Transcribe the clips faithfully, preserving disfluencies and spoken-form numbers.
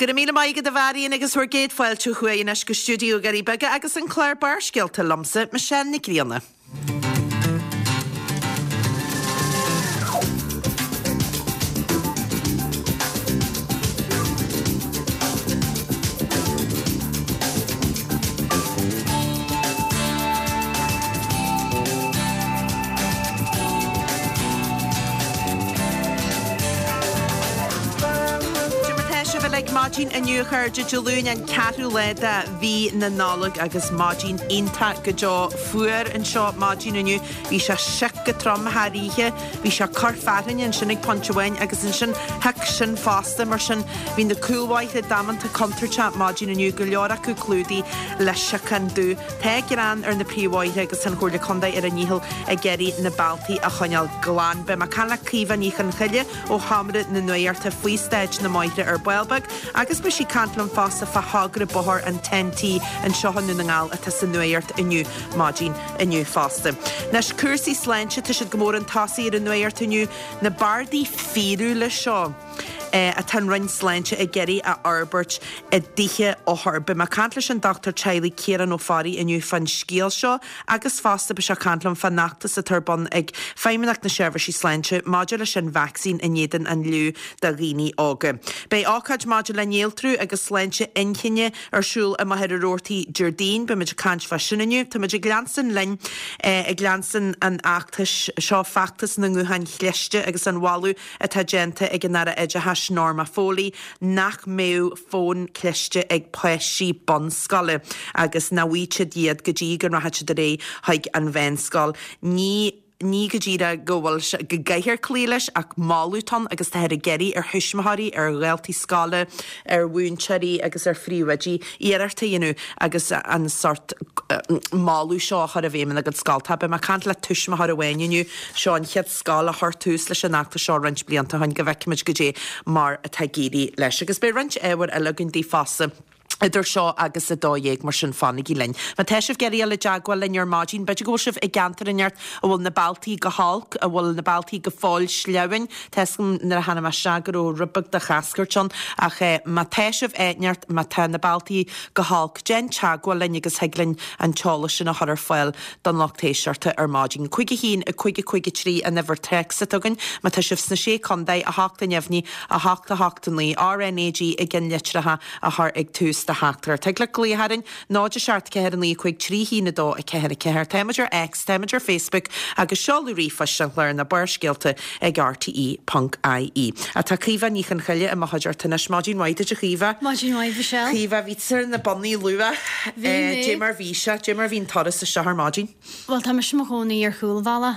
Go raibh míle maith agat a Mharion agus bhur gcéad fáilte chugainn anois go stiúideo na nDoirí Beaga agus an clár Barrscéalta liomsa, Michelle Nic Grianna. Maidin inniu a chairde Dé Luain an ceathrú lá de mhí na Nollag agus maidin iontach go deo fuar anseo maidin inniu. Bhí sé sioc go trom thar oíche, bhí sé ag cur fearthainne ansin ag pointe amháin agus ansin thit sin fosta mar sin bhí na cúlbhóithre damanta contúirteach maidin inniu, go leor acu clúdaithe le siocán dubh. Tá grean ar na príomhbhóithre agus an Chomhairle Contae ar a ndícheall ag iarraidh na bealtaí a choinneáil glan. Beidh mé ag caint le Caoimhe Ní Chonchoille ó Sheomra na Nuachta faoi staid na mbóithre ar ball beag agus beidh sí ag caint liom fosta fá thogra bóthair an Ten T anseo i nDún na nGall atá sa nuacht inniu maidin inniu fosta. Anois cúrsaí sláinte tá siad go mór chun tosaigh ar an nuacht inniu, na bardaí fíorúla seo. atá an Roinn Sláinte ag iarraidh a fhorbairt i dtithe othar. Beidh mé ag caint leis an dochtúir teaghlaigh Ciarán Ó Fearraigh inniu fán scéal seo agus fosta beidh sé ag caint liom fán fheachtas atá ar bun ag Feidhmeannacht na Seirbhísí Sláinte maidir leis an vacsaín in éadan an fhliú do dhaoine óga. Beidh ócáid maidir le néaltrú agus sláinte inchinne ar siúl i Machaire Rabhartaigh Déardaoin. Beimid ag caint fá sin inniu. Táimid ag leanstan linn ag leanstan an fheachtais seo, feachtas na nguthán chliste agus an mholadh atá déanta ag an Aire Oideachais Norma Foley nach mbeadh fón cliste ag páistí bunscoile agus nach bhfaighidh siad iad go dtí go rachaidh siad ar aghaidh chuig an mheánscoil. Ní ní go díreach go bhfuil sé go gcaithfear cloí leis ach moladh atá ann agus táthar ag iarraidh ar thuismitheoirí, ar dhaltaí scoile, ar mhúinteoirí agus ar phríomhoidí iarracht a dhéanamh agus an sort moladh seo a chur i bhfeidhm ina gcuid scoltacha. Beidh mé ag caint le tuismitheoir amháin inniu, seo an chéad scoil a chuir tús leis an fheachtas seo roinnt blianta ó shin, go bhfeicfimid goidé mar atá ag éirí leis. Agus beidh roinnt ábhair eile againn daoibh fosta. Idir seo agus a dó dhéag, mar sin fanaigí linn. Má tá sibh ag iarraidh dul i dteagmháil linn ar maidin, b'fhéidir go bhfuil sibh i gceantar inteacht a bhfuil na bealtaí go holc, a bhfuil na bealtaí go fóill sleamhain. Tá 'fhios agam nuair a tháinig mé isteach go raibh rud beag de chascairt ann, ach má tá sibh áit inteacht, má tá na bealtaí go holc, déan teagmháil linn agus thig linn an t-eolas sin a chur ar fáil don lucht éisteachta ar maidin. Cúig a haon, a cúig a cúig a trí an uimhir téacs atá againn. Má tá sibh sna Sé Chontae, a hocht a neamhní, a hocht a hocht a naoi, RnaG i gceannlitreacha a chur ag tús do theachtaireacht. Thig leat glaoch orainn, náid a seacht ceathair a naoi cúig trí haon a dó a ceathair a ceathair. Táimid ar X, táimid ar Facebook agus seoladh ríomhphoist an chláir ná Barrscéalta ag rte ponc ie. Tá Caoimhe Ní Chonchoille i mo chuideachta anois. Maidin mhaith duit a Chaoimhe. Maidin mhaith Michelle. Caoimhe, bhí tú ar na bonnaí luath. Bhí mé. Dé mar bhí sé, dé mar bhí an turas isteach ar maidin. Bhuel tá mise i mo chónaí ar chúlbhealach.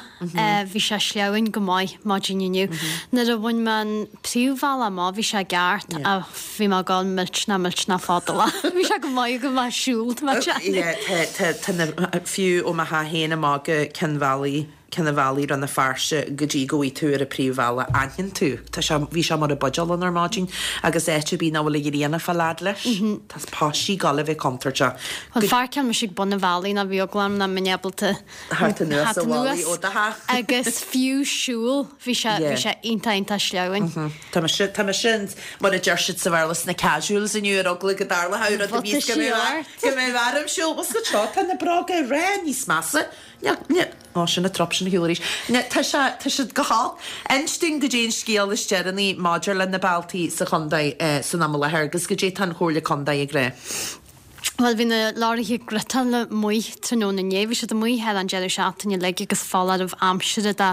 Bhí sé sleamhain go maith maidin inniu. Nuair a bhain mé an príomhbhealach amach bhí sé i gceart ach bhí mé ag dul millteanach millteanach fadálach. Bhí sé go maith go maith siúl tá mé ag déanamh. Tá tá tá na fiú ó mo theach féin amach go Ceann Bhealaigh Ceann an Bhealaigh Rann na Feirste go dtí go bhfaighidh tú ar an príomhbhealach aithníonn tú. Tá sé bhí sé mar a buidéal ann ar maidin agus áit ar bith nach bhfuil an ghrian ag fáil fhad leis. Tá páistí ag dul a bheith contúirteach. Bhuel pháirceáil mise ag bun an bhealaigh nó bhí eagla orm nach mbeinn ábalta Theacht anuas an bhealaigh ó do theach. Agus fiú siúl bhí sé bhí sé iontach iontach sleamhain. Tá mise tá mise in mar a deir siad sa Bhéarla sna casuals inniu ar eagla go dtarlódh rud a bhí go mbeadh go mbeadh orm siúl. Bhuel seo tá na bróga ag rá níos measa. Ní ní Ó sin an trup sin a shiúl arís. Ní tá sé tá siad go holc. Inis dúinn goidé an scéal is deireanaí maidir le na bealtaí sa chontae san am i láthair agus goidé tá an Chomhairle Contae ag rá. Bhuel, bhí na leoraithe griotála amuigh tráthnóna inné. Bhí siad amuigh thar an deireadh seachtaine uilig agus foláireamh aimsire de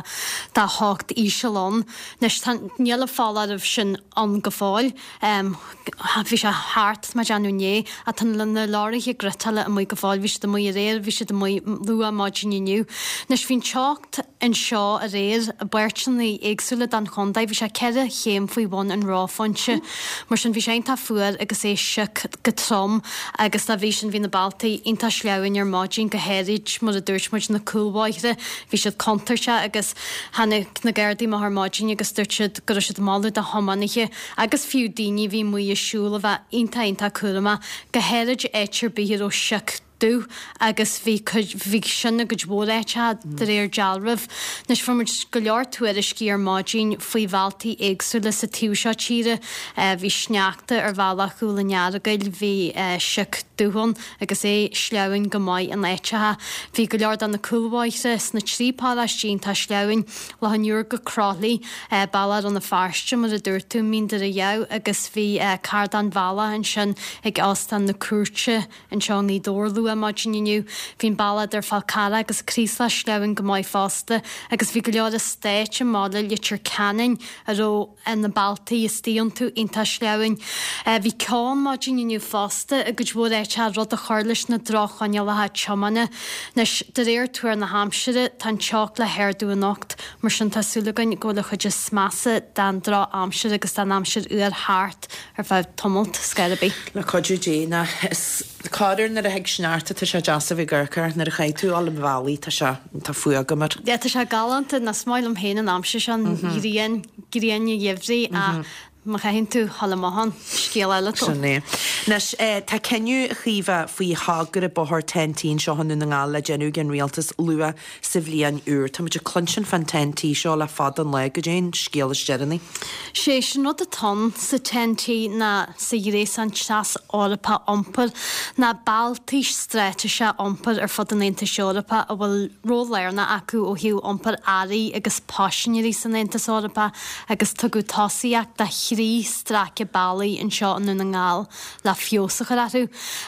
de theocht íseal ann. Anois tá, níl an foláireamh sin ann go fóill. Bhí sé thart, tá mé ag déanamh inné, ach tá na leoraithe griotála amuigh go fóill. Bhí siad amuigh aréir, bhí siad amuigh luath maidin inniu. Anois bhí an teocht anseo aréir i bpáirteanna éagsúla den chontae, bhí sé ceithre chéim faoi bhun an reophointe. Mar sin bhí sé iontach fuar agus é sioc go trom agus dá bhrí sin bhí na bealtaí iontach sleamhain ar maidin, go háirid mar a dúirt muid na cúlbhóithre, bhí siad contúirteach agus tháinig na Gardaí amach ar maidin agus dúirt siad go raibh siad ag moladh do thiománaithe agus fiú daoine a bhí amuigh ag siúl a bheith iontach iontach cúramach, go háirid áit ar bith a raibh sioc. dubh agus bhí cuid, bhí sin i gcuid mhór áiteacha de réir dealraimh. Anois fuair muid go leor tuairiscí ar maidin faoi bhealtaí éagsúla sa taobh seo tíre. Bhí sneachta ar bhealach Chúil an Earagail, bhí sioc dubh ann agus é sleamhain go maith in áiteacha. Bhí go leor de na cúlbhóithre sna trí paróiste iontach sleamhain. Loch an Iúir go Croithlí, bealach Rann na Feirste mar a dúirt tú, Mín Doire Dhamh agus bhí cardán-bhealach ansin ag Óstán na Cúirte anseo i nGaoth Dobhair luath maidin inniu. Bhí an bealach idir Fál Carrach agus Craoslach sleamhain go maith fosta agus bhí go leor eastáit i mbaile Leitir Ceanainn a raibh na bealtaí istigh iontu iontach sleamhain. Bhí ceo ann maidin inniu fosta i gcuid mhór áiteacha rud a chuir leis na droch-choinníollacha tiomána. Anois, de réir tuar na haimsire, tá an teocht le hardú anocht, mar sin tá súil againn go bhfuil an chuid is measa den droch-aimsir agus den aimsir fhuar thart ar feadh tamalt, scor ar bith. Le cuidiú Dé, ná is corruair nuair a thig sneachta tá sé deas a bheith ag amharc air, nuair a chaithfidh tú dul an bhealaigh tá sé, tá fuath agam air. Yeah, tá sé galánta, ná is maith liom féin an aimsir seo, an ghrian, grian an gheimhridh ach má chaitheann tú dhul amach ann, scéal eile atá. Sin é. Anois, tá cinneadh, a Chaoimhe, faoi thogra bóthair Ten-T anseo i nDún na nGall le déanamh ag an Rialtas luath sa bhliain úr. Tá muid ag cluinstin fán Ten-T seo le fada an lá, goidé an scéal is deireanaí. Sé sin rud atá ann sa Ten-T ná sa Ghréasán Tras-Eorpach Iompair ná bealtaí straitéiseacha iompair ar fud an Aontais Eorpaigh a bhfuil ról lárnach acu ó thaobh iompar earraí agus paisinéirí san Aontas Eorpach agus tugadh tosaíocht do thrí stráice bealaigh anseo i nDún na nGall le feabhas a chur orthu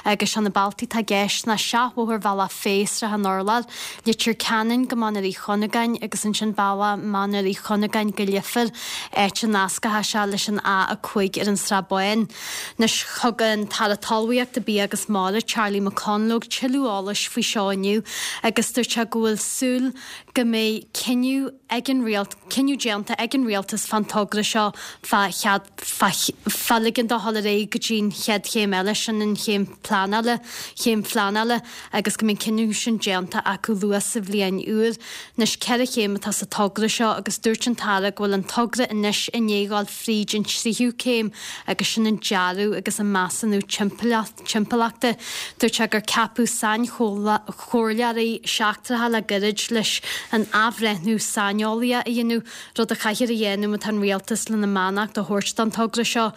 agus sé na bealtaí atá i gceist ná Seachbhóthar Bhealach Féich-Srath an Urláir, Leitir Ceanainn go Mainéar Uí Chuinneagáin agus ansin bealach Mainéar Uí Chuinneagáin go Leifear, áit a nascfaidh sé leis an A a cúig ar an Srath Bán. Anois thug an tAire Talmhaíochta, Bia agus Mara, Charlie McConalogue tuilleadh eolais faoi seo inniu agus dúirt sé go bhfuil súil go mbeidh cinneadh ag an cinneadh déanta ag an Rialtas fán togra seo fá chead fá ligean dó dhul ar aghaidh go dtí an chéad chéim eile, sin an chéim pleanála, chéim phleanála agus go mbeidh an cinneadh sin déanta acu luath sa bhliain úr. Anois ceithre chéim atá sa togra seo agus dúirt an tAire go bhfuil an togra anois i ndiaidh dhul fríd an tríú céim agus sin an dearadh agus an measúnú timpeallachta. Dúirt sé gur ceapadh sainchomhairleoirí seachtracha le gairid leis an athbhreithniú saineolaíoch a dhéanamh, rud a chaithfear a dhéanamh má tá an Rialtas lena mbeannacht a thabhairt don togra seo.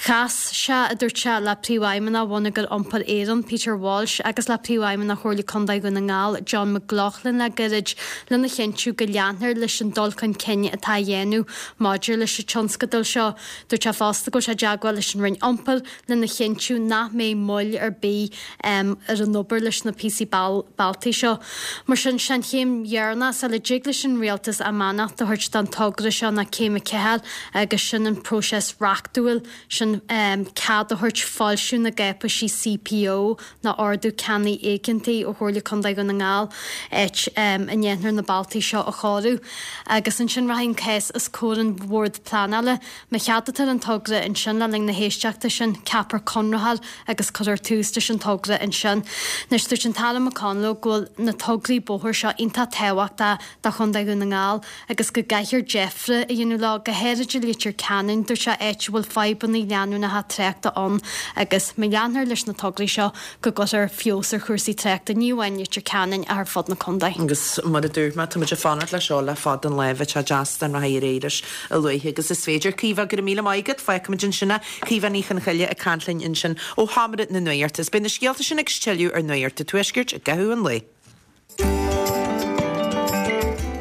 Chas sé, a dúirt sé, le Príomhfheidhmeannach Bhonneagar Iompair Éireann, Peter Walsh, agus le Príomhfheidhmeannach Chomhairle Contae Dhún na nGall, John McLaughlin le gairid lena chinntiú go leanfar leis an dul chun cinn atá á dhéanamh maidir leis an tionscadal seo. Dúirt sé fosta go bhfuil sé i dteagmháil leis an Roinn Iompair lena chinntiú nach mbeidh moill ar bith ar an obair leis na píosaí bealtaí seo. Mar sin, sé an chéim dheireanach sula dtig leis an Rialtas a mbeannacht a thabhairt don togra seo ná céim a ceathair agus sin an próiseas reachtúil sin cead a thabhairt foilsiú na gcáipéisí C P O ná Ordú Ceannaigh Éigeantaigh ó Chomhairle Contae Dhún na nGall áit a ndéanfar na bealtaí seo a chóiriú. Agus ansin rachaidh an cás os comhair an Bhord Pleanála. Má cheadaítear an togra ansin le linn na héisteachta sin, ceapfar conraitheoir agus cuirfear tús leis an togra ansin. Anois dúirt an tAire McConalogue go bhfuil na tograí bóthair seo iontach tábhachtach do Chontae Dhún na nGall agus go gcaithfear deifre a dhéanamh leo, go háirid i Leitir Ceanainn, dúirt sé, áit a bhfuil fadhbanna leanúnacha tráchta ann agus má leanfar leis na tograí seo go gcuirfear feabhas ar chúrsaí tráchta ní amháin i Leitir Ceanainn ach ar fud na contae. Agus mar a dúirt mé, tá muid ag fanacht leis seo le fada an lá, bheadh sé deas dá rachfaí ar aghaidh leis a luaithe agus is féidir. Caoimhe, go raibh míle maith agat, fágfaimid ansin é. Caoimhe Ní Chonchoille ag caint linn ansin ó Sheomra na Nuachta. Is beidh na scéalta sin agus tuilleadh ar Nuacht an Tuaiscirt i gcaitheamh an lae.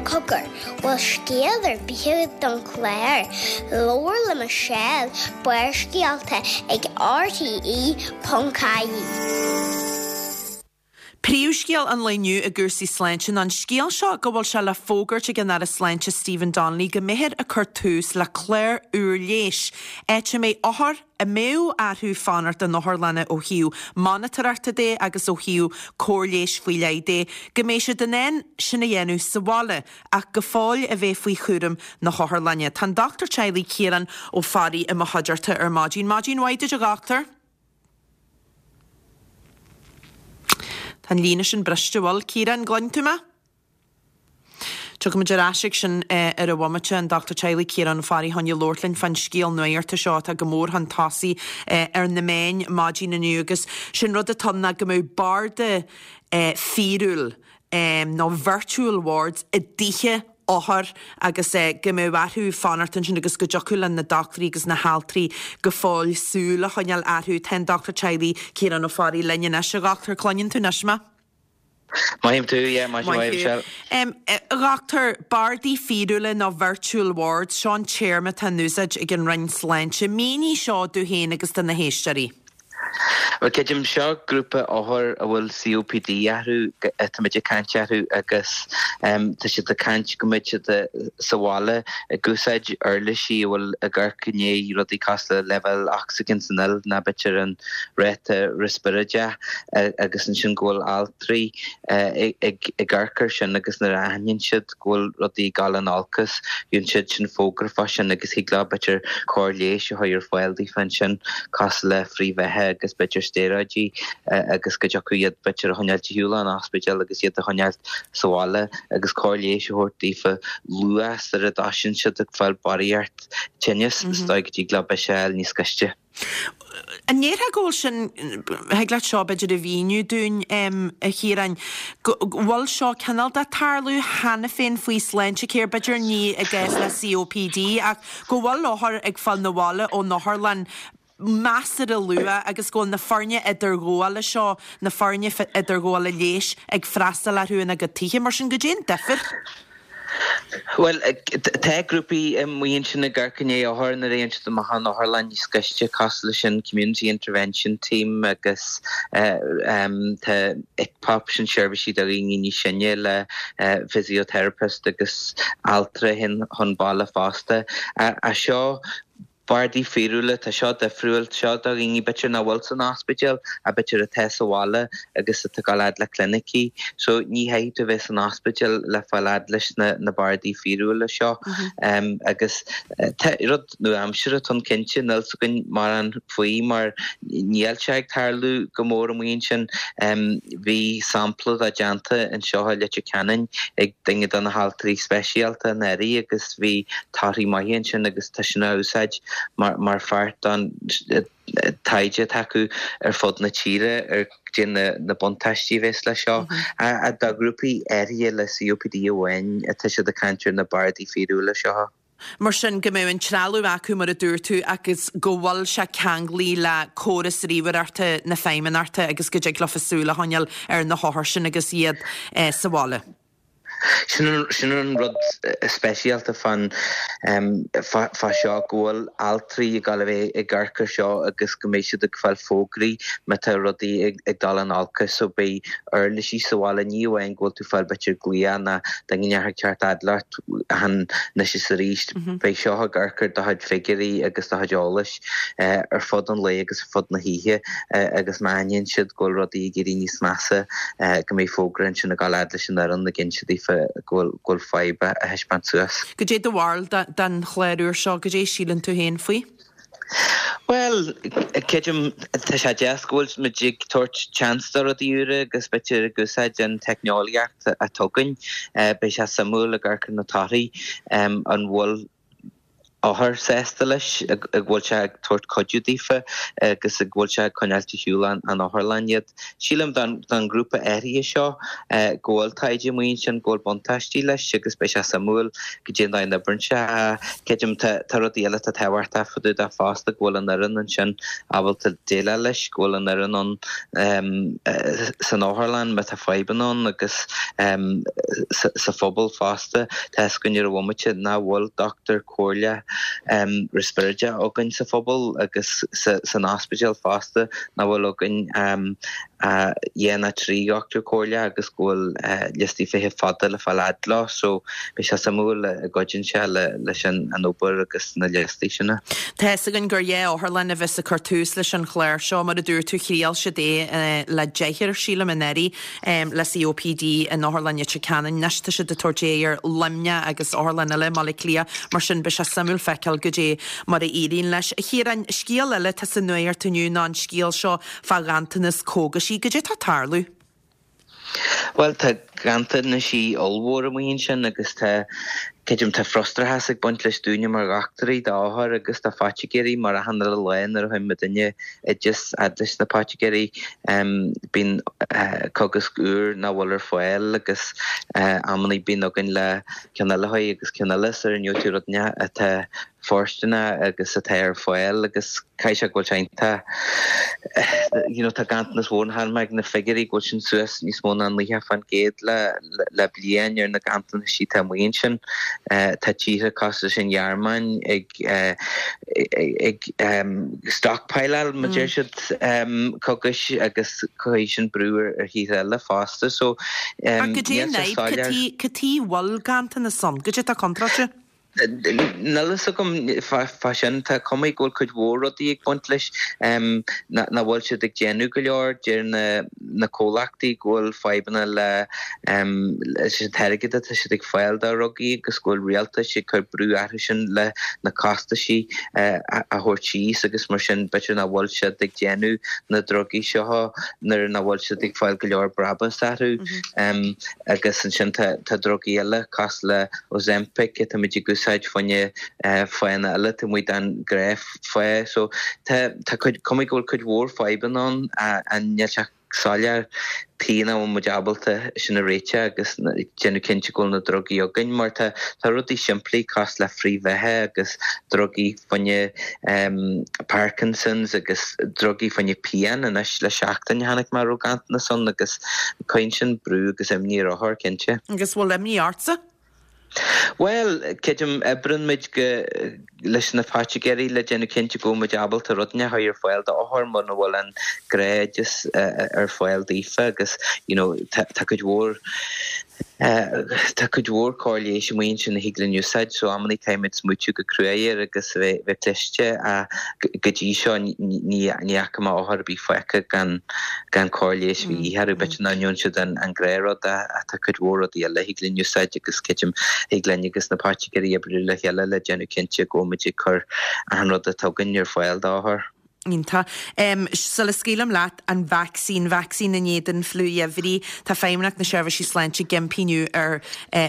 Cogar, bhfuil scéal ar bith don chlár, Labhair le Michelle, Barrscéalta ag R T E ponc I E. Príomhscéal an lae inniu i gcúrsaí sláinte ná an scéal seo go bhfuil sé le fógairt ag an Aire Sláinte Stephen Donnelly go mbeifear ag cur tús le clár úr leighis, áit a mbeidh othair a mbeadh orthu fanacht in otharlanna ó thaobh monatóireachta de agus ó thaobh cóir leighis faoi leith de, go mbeidh siad in ann sin a dhéanamh sa bhaile ach go fóill a bheith faoi chúram na hotharlainne. Tá an Dochtúir Teaghlaigh Ciarán Ó Fearraigh i mo chuideachta ar maidin. Maidin mhaith duit, a dhochtúir. Tá an líne sin briste bhfuil Ciarán gluin tú me? Tiocfaimid ar ais ag sin ar an bhomaite, an Dochtúir Teaghlaigh Ciarán Ó Fearraigh chun labhairt linn fán scéal nuachta seo atá go mór chun tosaigh ar na meáin maidin inniu agus sin rud atá ann ná go mbeadh barda fíorúil nó virtual wards i dtithe othar agus go mbeadh orthu fanacht ansin agus go dtiocfadh le na dochtúirí agus na haltraí go fóill súil a choinneáil orthu. Tá an Dochtúir Teaghlaigh Ciarán Ó Fearraigh linn anois. A dhochtúir, cluineann tú anois mé? Maith tú, yeah, maith maith Michelle. Um, a dhochtúir, bardaí fíorúla nó virtual wards, seo an téarma atá in úsáid ag an Roinn Sláinte. Mínigh seo domh féin agus do na héisteoirí. Well creidim seo grúpa othar a bhfuil C O P D orthu táimid ag caint orthu agus tá siad ag caint go mbeidh siad sa bhaile ag úsáid uirlisí a bhfuil ag amharc i ndiaidh rudaí cosúil le leibhéal ocsaigin san fhuil nó b'fhéidir an ráta riospráide agus ansin go bhfuil altraí ag amharc air sin agus nuair a aithníonn siad go bhfuil rudaí ag dul in olcas gheobhann siad sin fógra fá sin agus thig leo b'fhéidir cóir leighis a chur ar fáil daofa ansin cosúil le frithbheatha agus b'fhéidir stéaróidí agus go dtiocfadh iad b'fhéidir a choinneáil ar shiúl ón ospidéal agus iad a choinneáil sa bhaile agus cóir leighis a thabhairt daofa luath sar a dtosaíonn siad ag fáil barraíocht tinnis is dóigh go dtig leo bisiáil níos gaiste. An ndéarfá go bhfuil sin, thig leat seo b'fhéidir a mhíniú dúinn, a Chiaráin, go bhfuil seo cineál de tarlú cheana féin faoi Sláintecare, b'fhéidir ní i gcás le C O P D ach go bhfuil othair ag fáil na bhaile ón otharlann measartha luath agus go bhfuil na foirne idirghabhála seo, na foirne idirghabhála leighis ag freastal orthu ina gcuid tithe. Mar sin, goidé an difear? Well tá grúpaí amuigh ansin ag amharc i ndiaidh othar nuair a théann siad amach ón otharlann níos gaiste cosúil leis an Community Intervention Team agus tá I C P O P sin seirbhísí do dhaoine níos sine le physiotherapist agus altra chun baile fosta. A seo bardaí fíorúla, tá seo difriúil, seo do dhaoine b'fhéidir nach bhfuil san ospidéal a b'fhéidir atá sa bhaile agus atá ag dul fhad le clinicí. So ní chaithfidh tú bheith san ospidéal le fáil fhad leis na, na bardaí fíorúla seo. Mm -hmm. um, agus tá rud nua-aimseartha atá ann cinnte níl a fhios againn mórán faoi mar níl sé ag tarlú go mór amuigh ansin. Um, bhí sampla de déanta anseo i Leitir Ceanainn ag duine de na haltraí speisialta anuraidh agus bhí torthaí maithe ansin agus tá sin á úsáid mar, mar pháirt den taighde atá acu ar fud na tíre ar goidé na, na buntáistí a bheas le seo. Mm -hmm. A do grúpaí áirithe le C O P D amháin atá siad ag caint ar na bardaí fíorúla seo. Mar sin go mbeidh an trealamh acu mar a dúirt tú agus go bhfuil sé ceangailte le córas ríomhaireachta na feidhmeannachta agus go dtig leofa súil a choinneáil ar na hothair sin agus iad eh, sa bhaile. Sin sin an rud speisialta fan fá seo go bhfuil altraí ag dul a bheith ag amharc air seo agus go mbeidh siad ag fáil fógraí má tá rudaí ag, ag dul in olcas so beidh uirlisí sa bhaile ní amháin go bhfuil tú fáil b'fhéidir glaoch ná duine ag teacht fhad leat anois is arís beidh seo ag amharc ar do chuid figiúirí agus do chuid eolais ar fud an lae agus ar fud na hoíche agus má aithníonn siad go bhfuil rudaí ag éirí níos measa go mbeidh fógra ansin ag dul fhad leis an fhoireann ag inse daofa go bhfuil fadhb a thaispeáint suas. Goidé do bharúil den chlár úr seo, goidé síleann tú féin faoi? Well, creidim tá sé deas go bhfuil muid ag tabhairt chance do rudaí úra agus b'fhéidir ag úsáid an teicneolaíocht atá againn, beidh sé suimiúil ag amharc ar na torthaí an bhfuil othair sásta leis ag bhfuil sé ag tabhairt cuidiú daofa agus ag bhfuil sé ag coinneáil ar shiúl ón otharlann iad. Sílim don don grúpa áirithe seo go bhfuil taighde amuigh ansin go bhfuil buntáistí leis agus beidh sé suimiúil goidé an dóigh a n-oibríonn sé. Creidim tá rudaí eile atá tábhachtach fá dtaobh de fosta go bhfuil an fhoireann ansin ábalta déileáil leis, go bhfuil an fhoireann ann san otharlann má tá fadhbanna ann agus sa phobal fosta. Tá a fhios againn ar an bhomaite nach bhfuil dochtúir comhairle um, riospráide againn sa phobal agus sa, san ospidéal fosta nach bhfuil againn um, uh, dhá nó trí dhochtúir comhairle agus go bhfuil uh, liostaí feithimh fada le fáil fhad leo, so beidh sé suimiúil an gcuidíonn sé le, leis an, an obair agus na liostaí sin. Tá a fhios againn gur dhá otharlann a bheas ag cur tús leis an chlár seo mar a dúirt tú thriail siad é le deichniúr sílim anuraidh le C O P D in Otharlann Leitir Ceanainn. Anois tá siad ag tabhairt é ar Luimneach agus otharlann eile i mBaile Átha Cliath mar sin beidh sé suimiúil feiceáil goidé mar a éiríonn leis. Chiaráin, scéal eile tá sa nuacht inniu ná an scéal seo fá ghanntanas cógaisí, goidé tá ag tarlú. Bhuel, tá ganntanaisí ollmhór amuigh ansin agus tá, creidim, tá frustrachas ag baint leis dúinne mar dhochtúirí d'othair agus do phoitigéirí mar achan uile lá nuair a chuireann muidinne oideas fhad leis na poitigéirí bíonn cogasc úr nach bhfuil ar fáil agus amannaí bíonn againn le ceann eile a agus ceann eile sar a ngeobhaidh tú rud atá fóirsteanach agus atá ar fáil agus caithfidh sé go bhfuil sé iontach you know tá ganntanas mhór chonaic mé na figiúirí go bhfuil sin suas níos mó ná naocha fán gcéad le le bliain ar na ganntanaisí atá amuigh ansin. Tá tíortha cosúil leis an Ghearmáin ag ag stockpileáil mar deir siad cogaisc agus cuirfidh sin brú ar ar thíortha eile fosta so Ach goidé an fhadhb? Cad chuige a bhfuil ganntanas ann? Goidé atá contráilte? Níl a fhios agam fá sin. Tá cuma go bhfuil cuid mhór rudaí ag baint leis nach bhfuil siad ag déanamh go leor. Deir na comhlachtaí go bhfuil fadhbanna le leis an t-airgead atá siad ag fáil do dhrugaí agus go bhfuil rialtais ag cur brú orthu sin le na costaisí a thabhairt síos agus mar sin b'fhéidir nach bhfuil siad ag déanamh na drugaí seo nuair nach bhfuil siad ag fáil go leor brabús orthu. Agus ansin tá drugaí eile cosúil le Ozempic atáimid ag úsáid fá choinne fáthanna eile taobh amuigh den ghnáthfháth. So tá tá cuid cuma go bhfuil cuid mhór fadhbanna ann a níl sé soiléir tuige nach bhfuil muid ábalta sin a réiteach agus déanamh cinnte go bhfuil na drugaí againn mar tá tá rudaí simplí cosúil le frith-bheatha agus drugaí fá choinne Parkinson's agus drugaí fá choinne pian anois le seachtain chonaic mé raibh ganntanas ann agus cuireann sin brú agus imní ar othair cinnte. Agus bhfuil imní ortsa? Bhuel, creidim, oibreann muid go leis na poitigéirí le déanamh cinnte go bhfuil muid ábalta rudaí a chur ar fáil d'othair muna bhfuil an gnáthoideas ar fáil daofa agus you know tá tá cuid mhór tá cuid mhór cóir leighis amuigh ansin a thig linn úsáid so amannaí caithfimid smaoitiú go cruaidh air agus a bheith bheith cliste ach go dtí seo ní ní fhaca mé othar ar bith fágtha gan gan cóir leighis a bheith orthu. B'fhéidir nach ndearna siad an gnáthrud ach tá cuid mhór rudaí eile a thig linn úsáid agus creidim thig linn agus na poitigéirí oibriú le chéile le déanamh cinnte go bhfuil muid ag cur achan rud atá againn ar fáil d'othair. Iontach. Sula scaoilim leat, an vacsaín, vacsaín in éadan fliú gheimhridh, tá Feidhmeannacht na Seirbhísí Sláinte ag impí inniu ar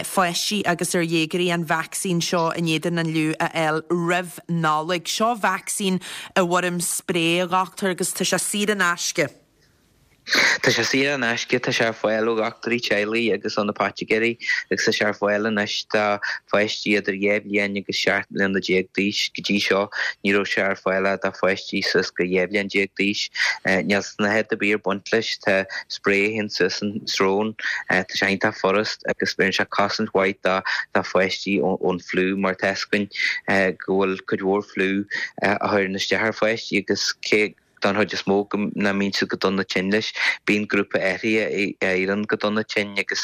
pháistí agus ar dhéagóirí an vacsaín seo in éadan an fhliú a fháil roimh Nollaig. Seo vacsaín i bhfoirm sprae, a dhochtúir, agus tá sé saor in aisce. Tá sé saor in aisce, tá sé ar fáil ó dhochtúirí teaghlaigh agus ó na poitigéirí agus tá sé ar fáil anois do pháistí idir dhá bhliain agus seacht mbliana déag d'aois. Go dtí seo ní raibh sé ar fáil ach do pháistí suas go dhá bhliain déag d'aois. Níl snáthaid ar bith ag baint leis, tá sprae a théann suas an srón, tá sé iontach furast agus beireann sé cosaint mhaith do do pháistí ón fliú mar tá fhios againn go bhfuil cuid mhór fliú a chuireann isteach ar pháistí agus cé don chuid is mó go nach mbíonn siad go dona tinn leis. Bíonn grúpa áirithe a éiríonn go dona tinn agus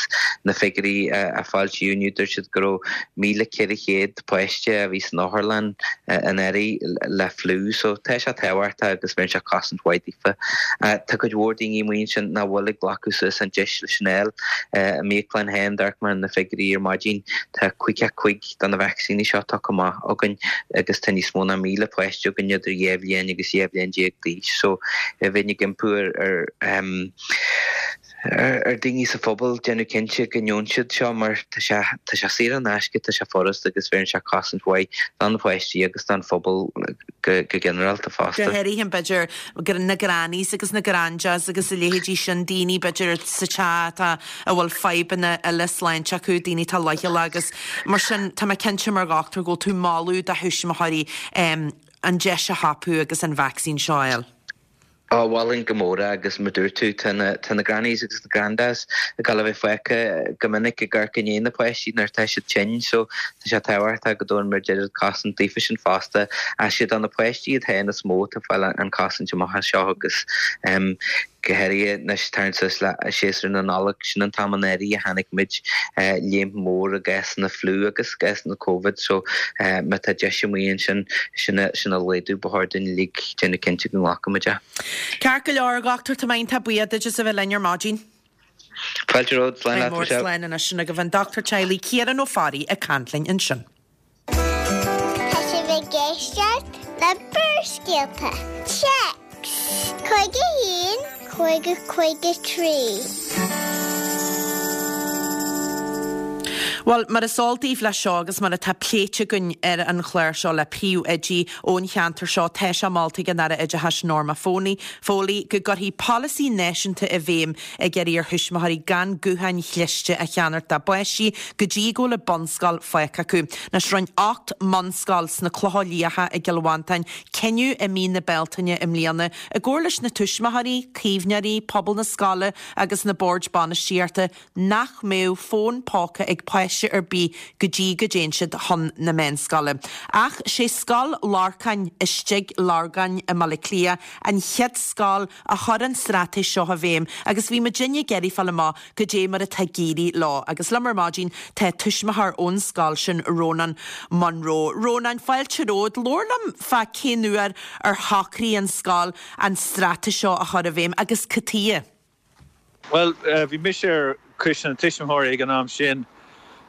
na figiúirí a foilsíodh inniu dúirt siad go raibh míle ceithre chéad páiste a bhí san otharlann anuraidh le fliú so tá sé tábhachtach agus bheireann sé cosaint mhaith daofa. Tá cuid mhór daoine amuigh ansin nach bhfuil ag glacadh suas an deis leis sin a fháil. I m'íoclann féin d'amharc mé ar na figiúirí ar maidin tá caoga cúig de na vacsaíní seo tugtha amach againn agus tá níos mó ná míle páiste againn idir dhá bhliain agus dhá bhliain déag d'aois so bheinn ag impí ar ar ar daoine sa phobal déanamh cinnte go ngeobhann siad seo mar tá sé tá sé saor in aisce, tá sé furast agus bheireann sé cosaint mhaith do na páistí agus don phobal go go ginearálta fosta. Go háirithe b'fhéidir na grannies agus na grandas agus a leithéidí sin, daoine b'fhéidir sa teach atá a bhfuil fadhbanna eile sláinte acu, daoine atá leochaileach agus mar sin tá mé cinnte mar dhochtúir go bhfuil tú ag moladh do thuismitheoirí an deis a thapú agus an vacsaín seo a fháil. Á, mholfainn go mór é agus mar dúirt tú, tá na, tá na grannies agus na grandas ag dul a bheith fágtha go minic ag amharc i ndiaidh na páistí nuair atá siad tinn so tá sé tábhachtach go dtabharann muid oiread cosaint daofa sin fosta. Ach is iad do na páistí iad féin is mó atá ag fáil an cosaint amach anseo agus go háirithe anois tarraingt suas le séasúr na Nollag, sin an t-am anuraidh a chonaic muid léim mhór i gcásanna fliú agus gcásanna Covid so má tá deis amuigh ansin sin a sin a laghdú ba chóir dúinn uilig déanamh cinnte go nglacann muid é. Ceart go leor, a dhochtúir, tá mé iontach buíoch duit as a bheith linn ar maidin. Fáilte romhat, slán leat Mór Michelle. slán anois sin agaibh an dochtúir teaghlaigh Ciarán Ó Fearraigh ag caint linn ansin. Tá sibh ag éisteacht le Barrscéalta. Téacs. Cúig a haon, cúig a cúig a trí. Bhuel, mar is eol daoibh leis seo agus mar atá pléite againn ar an chlár seo le príomhoidí ón cheantar seo, tá sé molta ag an Aire Oideachais Norma Foley, Foley go gcuirfí polasaí náisiúnta i bhfeidhm ag iarraidh ar thuismitheoirí gan gutháin chliste a cheannacht dá bpáistí go dtí go bhfuil an bunscoil fágtha acu. Anois rinne ocht mbunscoil sna Clocha Liatha i gCill Mhantáin cinneadh i mí na Bealtaine i mbliana i gcomhar leis na tuismitheoirí, caomhnóirí, pobal na scoile agus na boird bainistíochta nach mbeadh fón póca ag páiste ar bith go dtí go dtéann siad chun na meánscoile. Ach sé Scoil Lorcáin istigh Lorgáin i mBaile Átha Cliath an chéad scoil a chuir an straitéis seo i bhfeidhm agus bhí muidinne ag iarraidh fáil amach goidé mar atá ag éirí leo. Agus liom ar maidin tá tuismitheoir ón scoil sin Rónán Munro. Rónán, fáilte romhat, labhair liom fá cén uair ar shocraigh an scoil an straitéis seo a chur i bhfeidhm agus cad chuige? Bhuel, bhí mise ar choiste na tuismitheoirí ag an am sin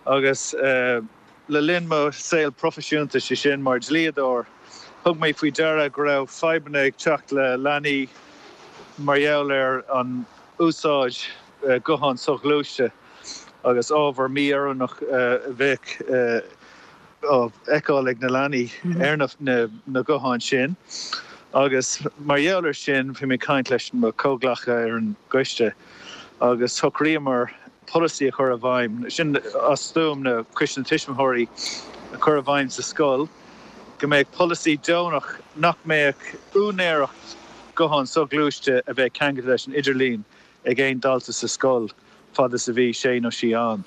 agus le linn mo saol proifisiúnta, sé sin mar dhlíodóir, thug mé faoi deara go raibh fadhbanna ag teacht le leanaí mar gheall ar an úsáid guthán soghluaiste agus ábhar mí-oiriúnach a bheadh á fheiceáil ag na leanaí ar na gutháin sin. Agus mar gheall air sin, bhí mé ag caint leis mo chomhghleacaithe ar an gcoiste agus shocraíomar polasaí a chur i bhfeidhm, sin as stuaim na Coiste na Tuismitheoirí a chur i bhfeidhm sa scoil, go mbeadh polasaí deonach nach mbeadh úinéireacht guthán soghluaiste a bheadh ceangailte leis an idirlíon ag aon dalta sa scoil fad is a bhí sé nó sí ann.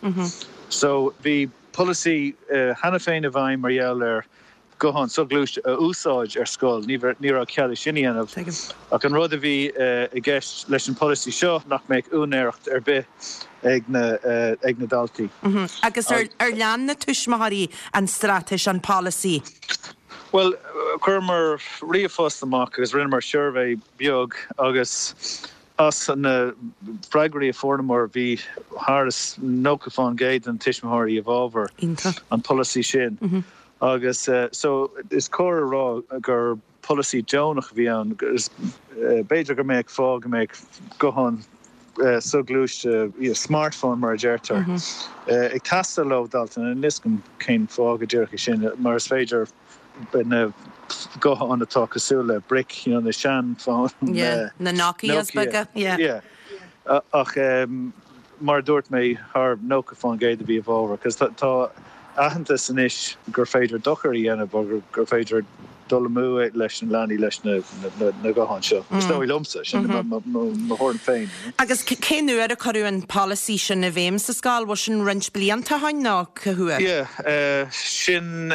So bhí polasaí cheana féin i bhfeidhm mar gheall ar guthán soghluaiste a úsáid ar scoil, ní raibh cead é sin a dhéanamh. Ach an rud a bhí i gceist leis an polasaí seo nach mbeadh úinéireacht ar bith ag na ag na daltaí. Agus ar ar lean na tuismitheoirí an straitéis, an polasaí? Bhuel, chuireamar ríomhphost amach agus rinneamar suirbhé beag agus as na freagraí a fuaireamar bhí thar is nócha fán gcéad den tuismitheoirí i bhfabhar an polasaí sin. Agus so is cóir a rá gur polasaí deonach a bhí ann. B'fhéidir go mbeadh fáth go mbeadh guthán soghluaiste, smartphone mar a deirtear, ag teastáil ó dhalta. Níl a fhios agam cén fáth go díreach é sin, mar is féidir na gutháin atá cosúil le brick, you know, na seanfhóin. Yeah, na Nokias beaga, yeah. Yeah. Ach mar a dúirt mé, thar nócha fán gcéad a bhí i bhfabhar, cos tá aitheantas anois gur féidir dochar a dhéanamh agus gur féidir dul amú leis na leanaí leis na gutháin seo. Is dóigh liomsa, sin mo thuairim féin. Agus cén uair a cuireadh an polasaí sin i bhfeidhm sa scoil? Bhfuil sin roinnt blianta ó shin nó cá huair? Yeah, sin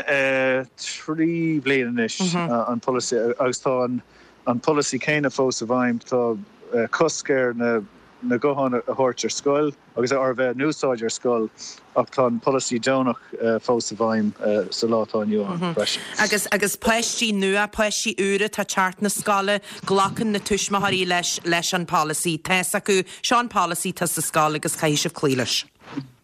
trí bliana anois an polasaí agus tá an polasaí céanna fós i bhfeidhm. Tá cosc ar na na gutháin a thabhairt ar scoil agus ar bheith in úsáid ar scoil ach tá an polasaí deonach fós i bhfeidhm sa lá atá inniu ann freisin. Agus agus páistí nua, páistí úra atá ag teacht na scoile, glacann na tuismitheoirí leis leis an polasaí. Tá's acu, seo an polasaí atá sa scoil agus caithfidh sibh cloí leis.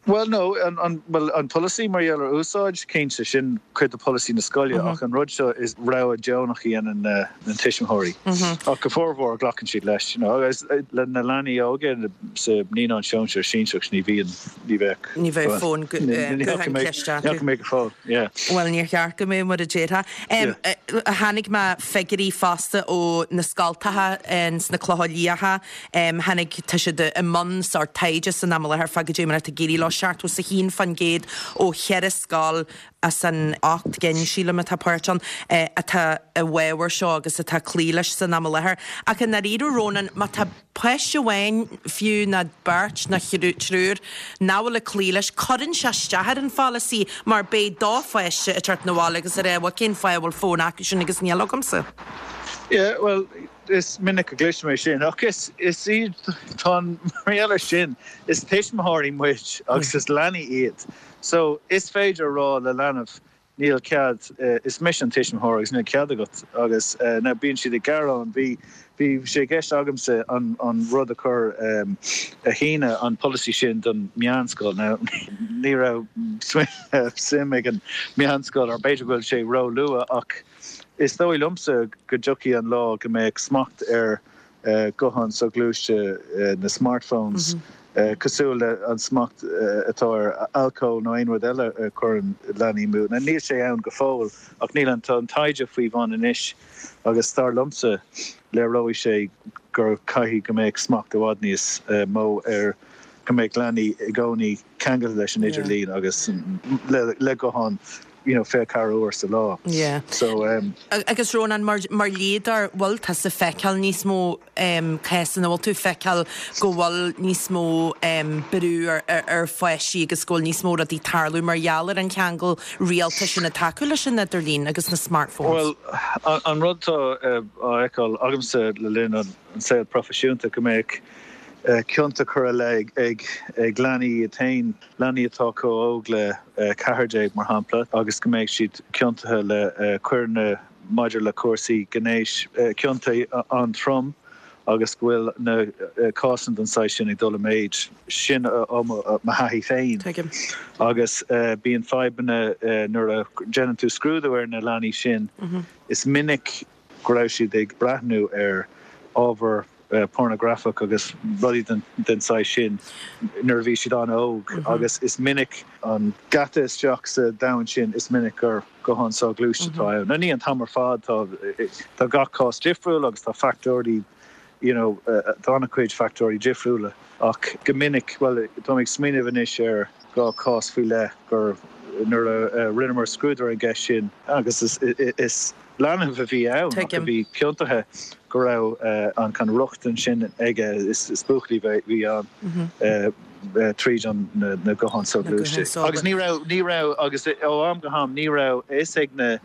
Bhuel, no, an, an, bhuel, an polasaí mar gheall ar úsáid, cinnte, sin cuid de pholasaí na scoile, ach an rud seo is rogha deonach a dhéanann na, na tuismitheoirí. Ach go formhór glacann siad leis, you know, agus le na leanaí óga sa naíonán sóisear, sinsearach, ní bhíonn, ní bheadh. Ní bheadh fón guthán cliste acu. Ní fhaca mé go fóill, yeah. Bhuel, níor cheart go mbeadh mar a déarfá. Tháinig mé figiúirí fosta ó na scoltacha sna Clocha Liatha. Tháinig, tá siad i mbun sórt taighde san am i láthair fá goidé mar atá ag éirí leo, seachtó is a haon faoin gcéad ó cheithre scoil as an ocht gcinn, sílim, atá páirt ann, atá i bhfabhar seo agus atá ag cloí leis san am i láthair. Ach i ndáiríre, Rónán, má tá páiste amháin fiú nó beirt nó triúr nach bhfuil ag cloí leis, cuireann sé isteach ar an pholasaí mar beidh do pháiste ag teacht 'na bhaile agus ag rá, bhuel, cén fáth a bhfuil fón acu sin agus níl agamsa? Yeah, bhuel, is minic a gcloisim é sin, ach is, is iad, tá an, mar gheall air sin, is tuismitheoirí muid agus is leanaí iad. So, is féidir a rá le leanbh, níl cead, is mise an tuismitheoir agus níl cead agat agus now bíonn siad ag gearán, bhí, bhí sé i gceist agamsa an, an rud a chur, a shíneadh an polasaí sin don meánscoil. Now, ní raibh suim ag an meánscoil, or b'fhéidir go bhfuil sé ró-luath ach, Is dóigh liomsa go dtiocfaidh an lá go mbeidh smacht ar ghutháin soghluaiste, na smartphones, Cosúil le an smacht atá ar alcól nó aon rud eile a chuireann leanaí amú. Now níl sé ann go fóill ach níl an tá an taighde faoi bhun anois agus dar liomsa léireoidh sé gur caithfidh go mbeadh smacht i bhfad níos mó ar go mbeadh leanaí i gcónaí ceangailte leis an idirlíon agus le le guthán you know fiche ceathair uair sa lá. Yeah. So um. Agus Rónán, mar mar dhlíodóir, bhfuil tusa ag feiceáil níos mó um, cásanna, bhfuil tú ag feiceáil go bhfuil níos mó um, brú ar, ar, ar pháistí agus go bhfuil níos mó rudaí tarlú mar gheall ar an cheangal rialta sin atá acu leis an idirlíon agus na smartphones? Well, an, an rud atá uh, á fheiceáil agamsa le linn an, an saol proifisiúnta go mbeadh cionta curtha i leith ag ag leanaí iad féin, leanaí atá chomh hóg le ceathair déag mar shampla, agus go mbeidh siad ciontaithe le coireanna maidir le cúrsaí gnéis, cionta an-trom agus go bhfuil na cásanna den saghas sin ag dul i méid. Sin ó mo thaithí féin. Tuigim. Agus bíonn fadhbanna nuair a déanann tú scrúdú ar na leanaí sin, is minic go raibh siad ag breathnú ar ábhar pornagrafach agus rudaí den den saghas sin nuair a bhí siad an-óg agus is minic an geata isteach sa domhan sin is minic gur guthán soghluaiste atá ann. Now ní an t-am ar fad tá tá gach cás difriúil agus tá factóirí you know tá an-chuid factóirí difriúla ach go minic bhuel tá mé ag smaoineamh anois ar dhá chás faoi leith gur nuair a rinneamar scrúdú ar an gceist sin agus is is leanbh a bhí ann ach a bhí ciontaithe go raibh an kind of rochtain sin aige is buachaill a bhí ann tríd an na gutháin soghluaiste. Agus ní raibh ní raibh agus ó am go ham ní raibh a fhios ag na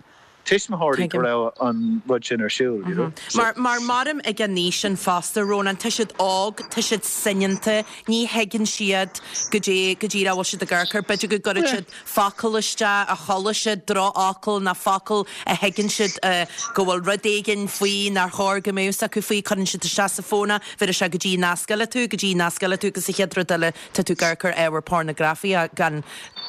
tuismitheoirí go raibh an rud sin ar siúl, you know. Mar mar maram ag an aois sin fosta, Rónán, tá siad óg, tá siad soineanta, ní thuigeann siad go dtí go dtí a bhfuil siad ag amharc air. B'fhéidir go gcuireann siad focal isteach a chuala siad, drochfhocal nó focal a thuigeann siad go bhfuil rud éigin faoi nár chóir go mbeadh fhios acu faoi, cuireann siad isteach sa bhfón é, bheireann sé go dtí nasc eile tú, go dtí nasc eile tú agus sa chéad rud eile tá tú ag amharc ar ábhar pornagrafaíoch gan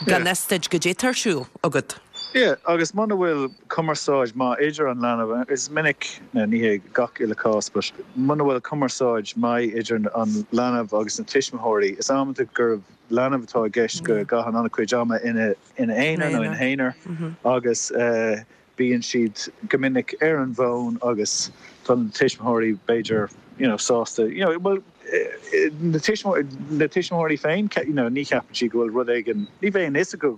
gan fhios duit goidé atá ar siúl agat. Yeah, agus muna bhfuil cumarsáid maith idir an leanbh, is minic, ní hé gach uile cás, but muna bhfuil cumarsáid maith idir an leanbh agus na tuismitheoirí, is amanta gur leanbh atá i gceist go gcaitheann an-chuid ama ina ina aonar nó ina haonar agus eh, bíonn siad go minic ar an bhfón agus tá na tuismitheoirí b'fhéidir you know, sásta, you know, well, na tuismitheoirí féin, you know, ní cheapann siad go bhfuil rud éigin, ní bheidh a fhios acu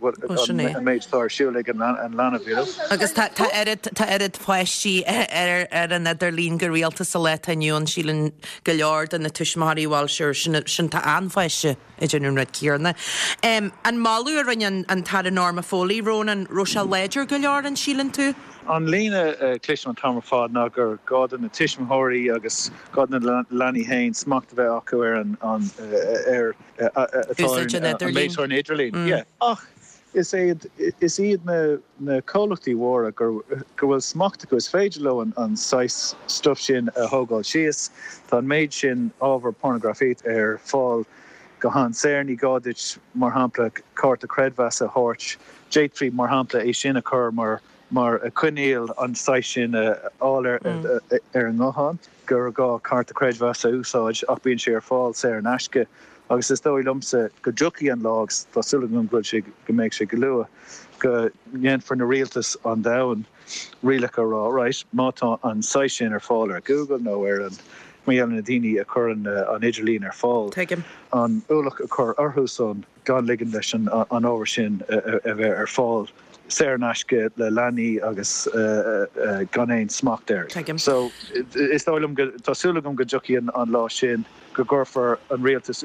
an méid atá ar siúl ag an leanbh, you know. Agus tá tá oiread tá oiread páistí ar ar an idirlíon go rialta sa lá atá inniu ann, síleann go leor de na tuismitheoirí bhuel sure sin sin tá an pháiste ag déanamh an rud céanna. An moladh a rinne an tAire Norma Foley, Rónán, raibh sé láidir go leor an síleann tú? An líne a chloisim an t-am ar fad ná gur gá do na tuismitheoirí agus gá do na leanaí féin smacht a bheith acu ar an ar atá ar an méid ar an idirlíon. Yeah. Ach is iad is iad na na comhlachtaí mhóra gur go bhfuil smacht acu is féidir leo an an saghas stuff sin a thógáil síos. Tá an méid sin ábhar pornagrafaíocht ar fáil go han-saor. Ní gá duit, mar shampla, cárta creidmheasa a thabhairt. D'fhéadfaí, mar shampla, é sin a chur mar mar choinníoll an saghas sin a fháil ar ar an nguthán, gur gá cárta creidmheasa a úsáid ach bíonn sé ar fáil saor in aisce agus is dóigh liomsa go dtiocfaidh an lá, agus tá súil agam go bhfuil sé, go mbeidh sé go luath, go ndéanfar na rialtais an domhain rialacha a rá, right, má tá an saghas sin ar fáil ar Google nó ar an, mar gheall ar na daoine a chuireann an idirlíon ar fáil, Tuigim. an ualach a chur orthu san gan ligean leis an ábhar sin a bheith ar fáil saor in aisce le leanaí agus gan aon smacht air. Tuigim. So, is dóigh liom go, tá súil agam go dtiocfaidh an lá sin go gcuirfear an rialtas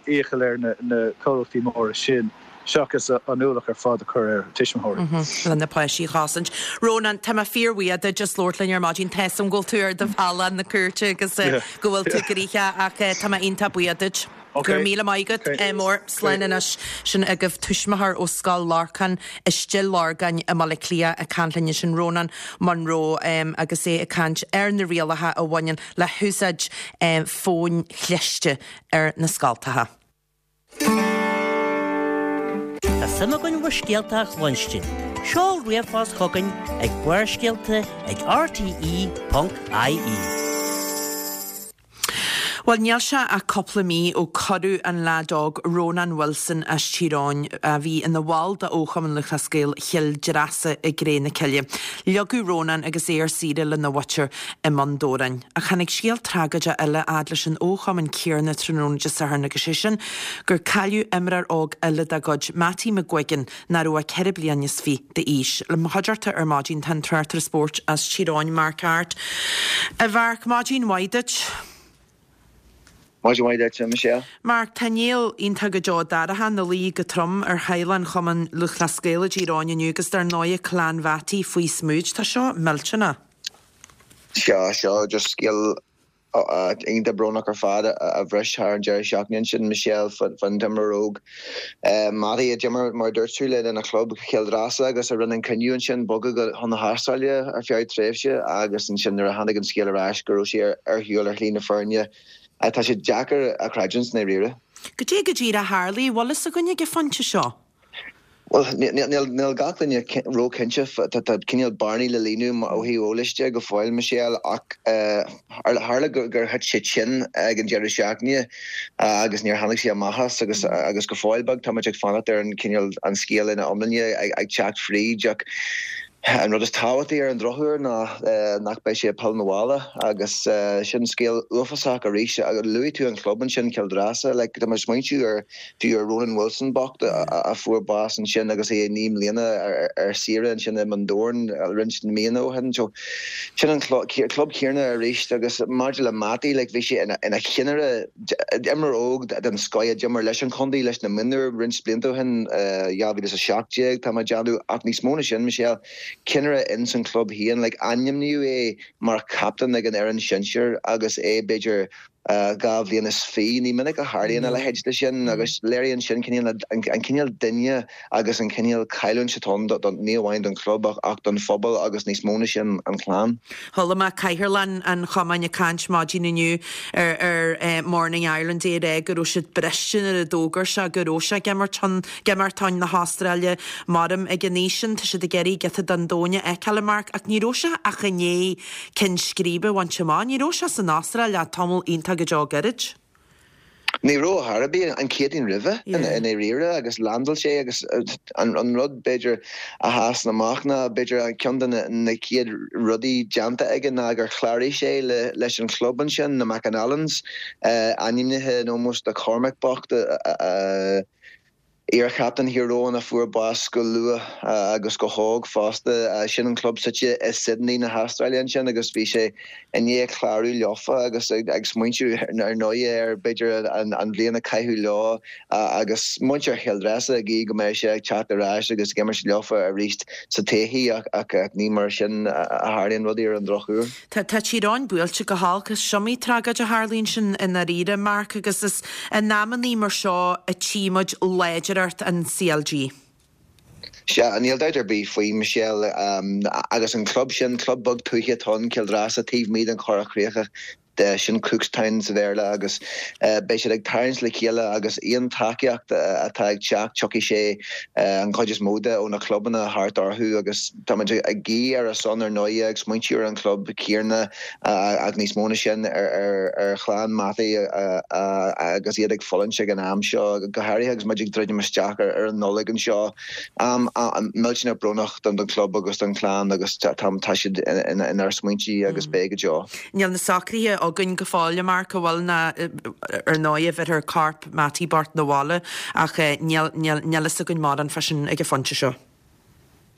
iachall ar na comhlachtaí móra sin seachas an ualach ar fad a chur ar tuismitheoirí. Le na páistí a chosaint. Rónán, tá mé fíorbhuíoch duit as labhairt linn ar maidin. Tá 'fhios a'm go bhfuil tú ar do bhealach na cúirte agus go bhfuil tú gnoitheach ach tá mé iontach buíoch duit. Go raibh míle maith agat. Mór. Slán anois. Sin agaibh tuismitheoir ó Scoil Lorcáin i Stigh Lorgáin i mBaile Átha Cliath ag caint linn ansin Rónán Munro agus é ag caint ar na rialacha a bhaineann le húsáid fóin chliste ar na scoltacha. Tá suim againn bhur scéalta a chluinstin. Seol ríomhphost chugainn ag Barrscéalta ag rte ponc ie. Bhuel, níl sé ach cúpla mí ó cuireadh an leaid óg Rónán Wilson as Tír Eoghain, a bhí ina bhall de Chumann Lúthchleas Gael Chill Dreasa i gcré na cille. Leagadh Rónán agus é ar saoire lena mhuintir i mBun Dobhráin. Ach tháinig scéal tragóideach eile fhad leis an fhochumann céanna tráthnóna Dé Sathairn agus sé sin gur cailleadh imreoir óg eile dá gcuid, Mattie McGuigan, nach raibh ach ceithre bliana is fiche d'aois. Le mo chuideachta ar maidin tá an tráchtaire spóirt as Tír Eoghain, Mark Harte. A Mharc, maidin mhaith duit. Maidin mhaith duit, Michelle. Mark, tá an néal iontach go deo dorcha ina luí go trom ar theaghlach an Chumainn Lúthchleas Gael i dTír Eoghain inniu agus dar ndóigh clann Mhattie faoi smúid. Tá seo millteanach. Seo seo just scéal iontach brónach ar fad a bhris thar an deireadh seachtaine ansin Michelle fan t-imreoir óg Mattie a d'imir mar dúirt tú lena chlub Chill Dreasa agus a rinne an cinneadh ansin bogadh go chun na hAstráile ar feadh tréimhse agus ansin nuair a tháinig an scéal ar ais go raibh sé ar shiúl ar shlí na fírinne tá sé deacair a chreidiúint i ndáiríre. Cad é go díreach a tharla, bhfuil fhios againn ag an phointe seo. Well níl gach duine róchinnte tá cineál bearnaí le líonadh ó thaobh eolais de go fóill Michelle ach tharla gur thit sé tinn ag an deireadh seachtaine agus níor tháinig sé amach as agus agus go fóill beag tá muid ag fanacht ar an cineál an scéal ina iomláine ag teacht fríd ach an rud is tábhachtaí ar an drochuair ná nach beidh sé ag pilleadh 'na bhaile agus sin scéal uafásach arís agus luaigh tú an club ansin Cill Dreasa like tá mé ag smaointiú ar fiú ar Ronan Wilson bocht a fuair bás ansin agus é naoi mbliana ar saoire ansin i mBun Dobhráin roinnt míonna ó shin so sin an club céanna arís agus maidir le Mattie like bhí sé ina ina chinnire imreoir óg den scoth a d'imir leis an chontae leis na mionúir roinnt blianta ó shin dhá mhíle is a seacht déag tá mé ag déanamh ach níos mó ná sin Michelle cinnire ins an club féin like ainmníodh é mar captain ag an fhoireann sinsir agus é b'fhéidir dhá bhliain is fiche ní minic a tharlaíonn a leithéid de sin agus léiríonn sin cineál an cineál duine agus an cineál cailliúint atá ann ní amháin don chlub ach don phobal agus níos mó ná sin an chlann. Chuala mé Cathaoirleach an chumainn ag caint maidin inniu ar ar Morning Ireland é ag rá go raibh siad briste nuair a d'fhógair sé go raibh sé ag imirt chun ag imirt chun na hAstráile maram ag an aois sin tá siad ag iarraidh giota den domhan a fheiceáil a Mark ach ní raibh sé ach i ndiaidh ceann scríbe a bhaint amach ní raibh sé san Astráil le tamall iontach go deo gairid. Ní raibh ar bith an Chéadaoin roimhe i ndáiríre agus landáil sé agus an rud b'fhéidir a sheasann amach ná b'fhéidir an ceann de na chéad rudaí déanta aige ná gur chláraigh sé leis an chlub ansin na McAnallans ainmnithe in ómós do Cormac bocht a iarchaptaen Thír Eoghain a fuair bás go luath agus go hóg fosta. Sin an club suite i Sydney na hAstráile ansin agus bhí sé i ndiaidh clárú leofa agus ag smaointiú ar ndóigh ar b'fhéidir an bhliain a caitheadh leo agus muintir Chill Dreasa ag guí go mbeidh sé ag teacht ar ais agus ag imirt leofa arís sa todhchaí ach ní mar sin a tharlaíonn rudaí ar an drochuair. Tá Tír Eoghain buailte go holc is iomaí tragóid a tharlaíonn sin i ndáiríre, Mark, agus is in amannaí mar seo a tchí muid láidreacht an CLG. Sea, níl dabht ar bith faoi, Michelle, agus an club sin, club beag tuaithe atá ann, Cill Dreasa, taobh amuigh den Chorrach Chríochach, sin Cookstown sa Bhéarla, agus beidh siad ag tarraingt le chéile agus aon tacaíocht atá ag teacht, tiocfaidh sé an chuid is mó de ó na clubanna thart orthu agus táimid ag guí ar a son ar ndóigh, ag smaointiú ar an chlub céanna ach níos mó na sin ar ar chlann Mattie agus iad ag fulaingt ag an am seo, go háirithe agus muid ag druidim isteach ar an Nollaig anseo. Am millteanach brónach don chlub agus don chlann agus tá siad inár smaointe agus beidh go deo. Níl na socruithe againn go fóill, a Mark, an bhfuil ná ar ndóigh a bheirfear corp Mattie bocht 'na bhaile ach níl níl níl fhios againn mórán fá sin ag an phointe seo.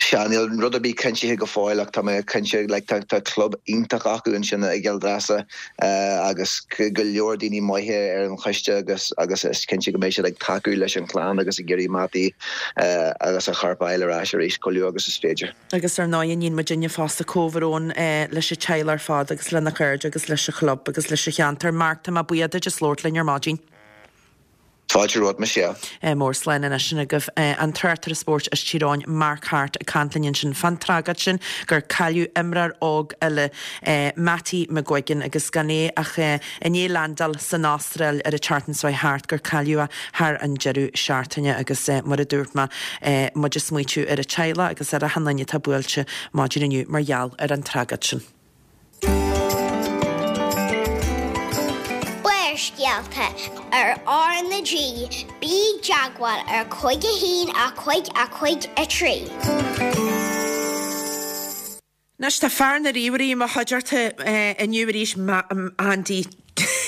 Sea, níl rud ar bith cinntithe go fóill ach tá mé cinnte like tá tá club iontach acu ansin i gCill Dreasa agus go leor daoine maithe ar an choiste agus agus is cinnte go mbeidh siad ag tacú leis an chlann agus ag iarraidh Mattie agus a chorp a fháil ar ais arís chomh luath agus is féidir. Agus ar ndóigh níonn muidinne fosta comhbhrón leis an teaghlach ar fad agus lena chairde agus leis an chlub agus leis an cheantar. Mark, tá mé buíoch duit as labhairt linn ar maidin. Fáilte romhat, Michelle. Mór slán anois sin agaibh an tráchtaire spóirt as Tír Eoghain, Mark Harte ag caint linn ansin fán tragóid sin gur cailleadh imreoir óg eile, Mattie McGuigan, agus gan é ach i ndiaidh landáil san Astráil ar an tseachtain seo thart gur cailleadh é thar an deireadh seachtaine agus mar a dúirt mé, muid ag smaoitiú ar an teaghlach agus ar achan duine atá buailte maidin inniu mar gheall ar an tragóid sin. Barrscéalta. Barrscéalta ar R na G, bí i dteagmháil ar cúig a haon a cúig a cúig a trí. Anois tá fear na ríomhairí i mo chuideachta inniu arís, Andy,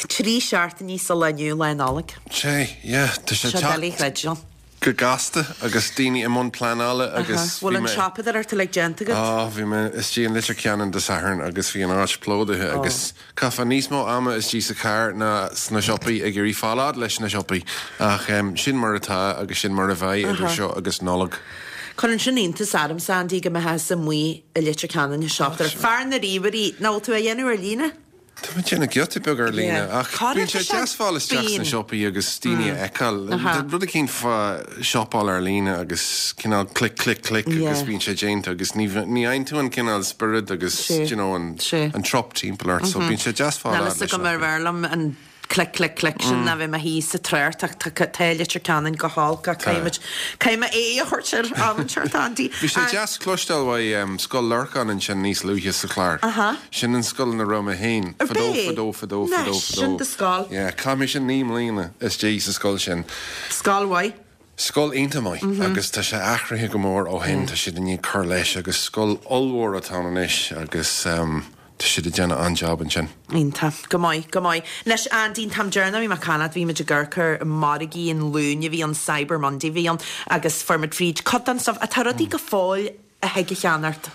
trí seachtainí sa lá inniu, Lá Nollag. Sé, yeah, tá sé Seo doiligh a chreidiúint. go gasta agus daoine i mbun pleanála agus Bhfuil bhí an mé siopadóireacht uilig déanta agat? Á, bhí mé istigh in Leitir Ceanainn Dé Sathairn agus bhí an áit plódaithe agus chaithfeá níos mó ama istigh sa charr ná sna siopaí ag iarraidh fáil fhad leis na siopaí. Ach sin mar atá agus sin mar a bheidh idir seo agus Nollaig. Cuireann sin iontas ormsa, Andy, go mbeifeá amuigh i Leitir Ceanainn ag siopadóireacht. Fear na ríomhairí, nach bhfuil tú á dhéanamh ar líne? Tá mé ag déanamh giota beag ar líne ach bíonn sé deas fáil isteach sna siopaí agus daoine a fheiceáil. Tá rud eicínt fá siopáil ar líne agus cineál click click click agus bíonn sé déanta agus ní ní fhaigheann tú an cineál spiorad agus you know an an trup timpeall ort so bíonn sé deas fáil Níl a fhios agam ar bhfearr liom an click click click sin ná bheith i mo shuí sa trácht ach tá Leitir Ceanainn go holc ach caithfimid caithfidh mé aghaidh a thabhairt air am inteacht Andy. Bhí sé deas cloisteáil uaidh Scoil Lorcáin ansin níos luaithe sa chlár. Sin an scoil ina raibh mé féin fadó fadó fadó fadó fadó. Sin do scoil. Yeah, chaith mise naoi mbliana istigh sa scoil sin. Scoil mhaith. Scoil iontach maith agus tá sé athraithe go mór ó shin, tá siad i ndiaidh cur leis agus scoil ollmhór atá ann anois agus tá siad ag déanamh an-jab ansin. Iontach. Go maith, go maith. Anois Andy, an t-am deireanach a bhí mé ag caint leat, bhí muid ag amharc ar margaí an Luain a bhí ann, Cyber Monday a bhí ann agus fuair muid fríd cuid den stuff. Tá rudaí go fóill a thig a cheannacht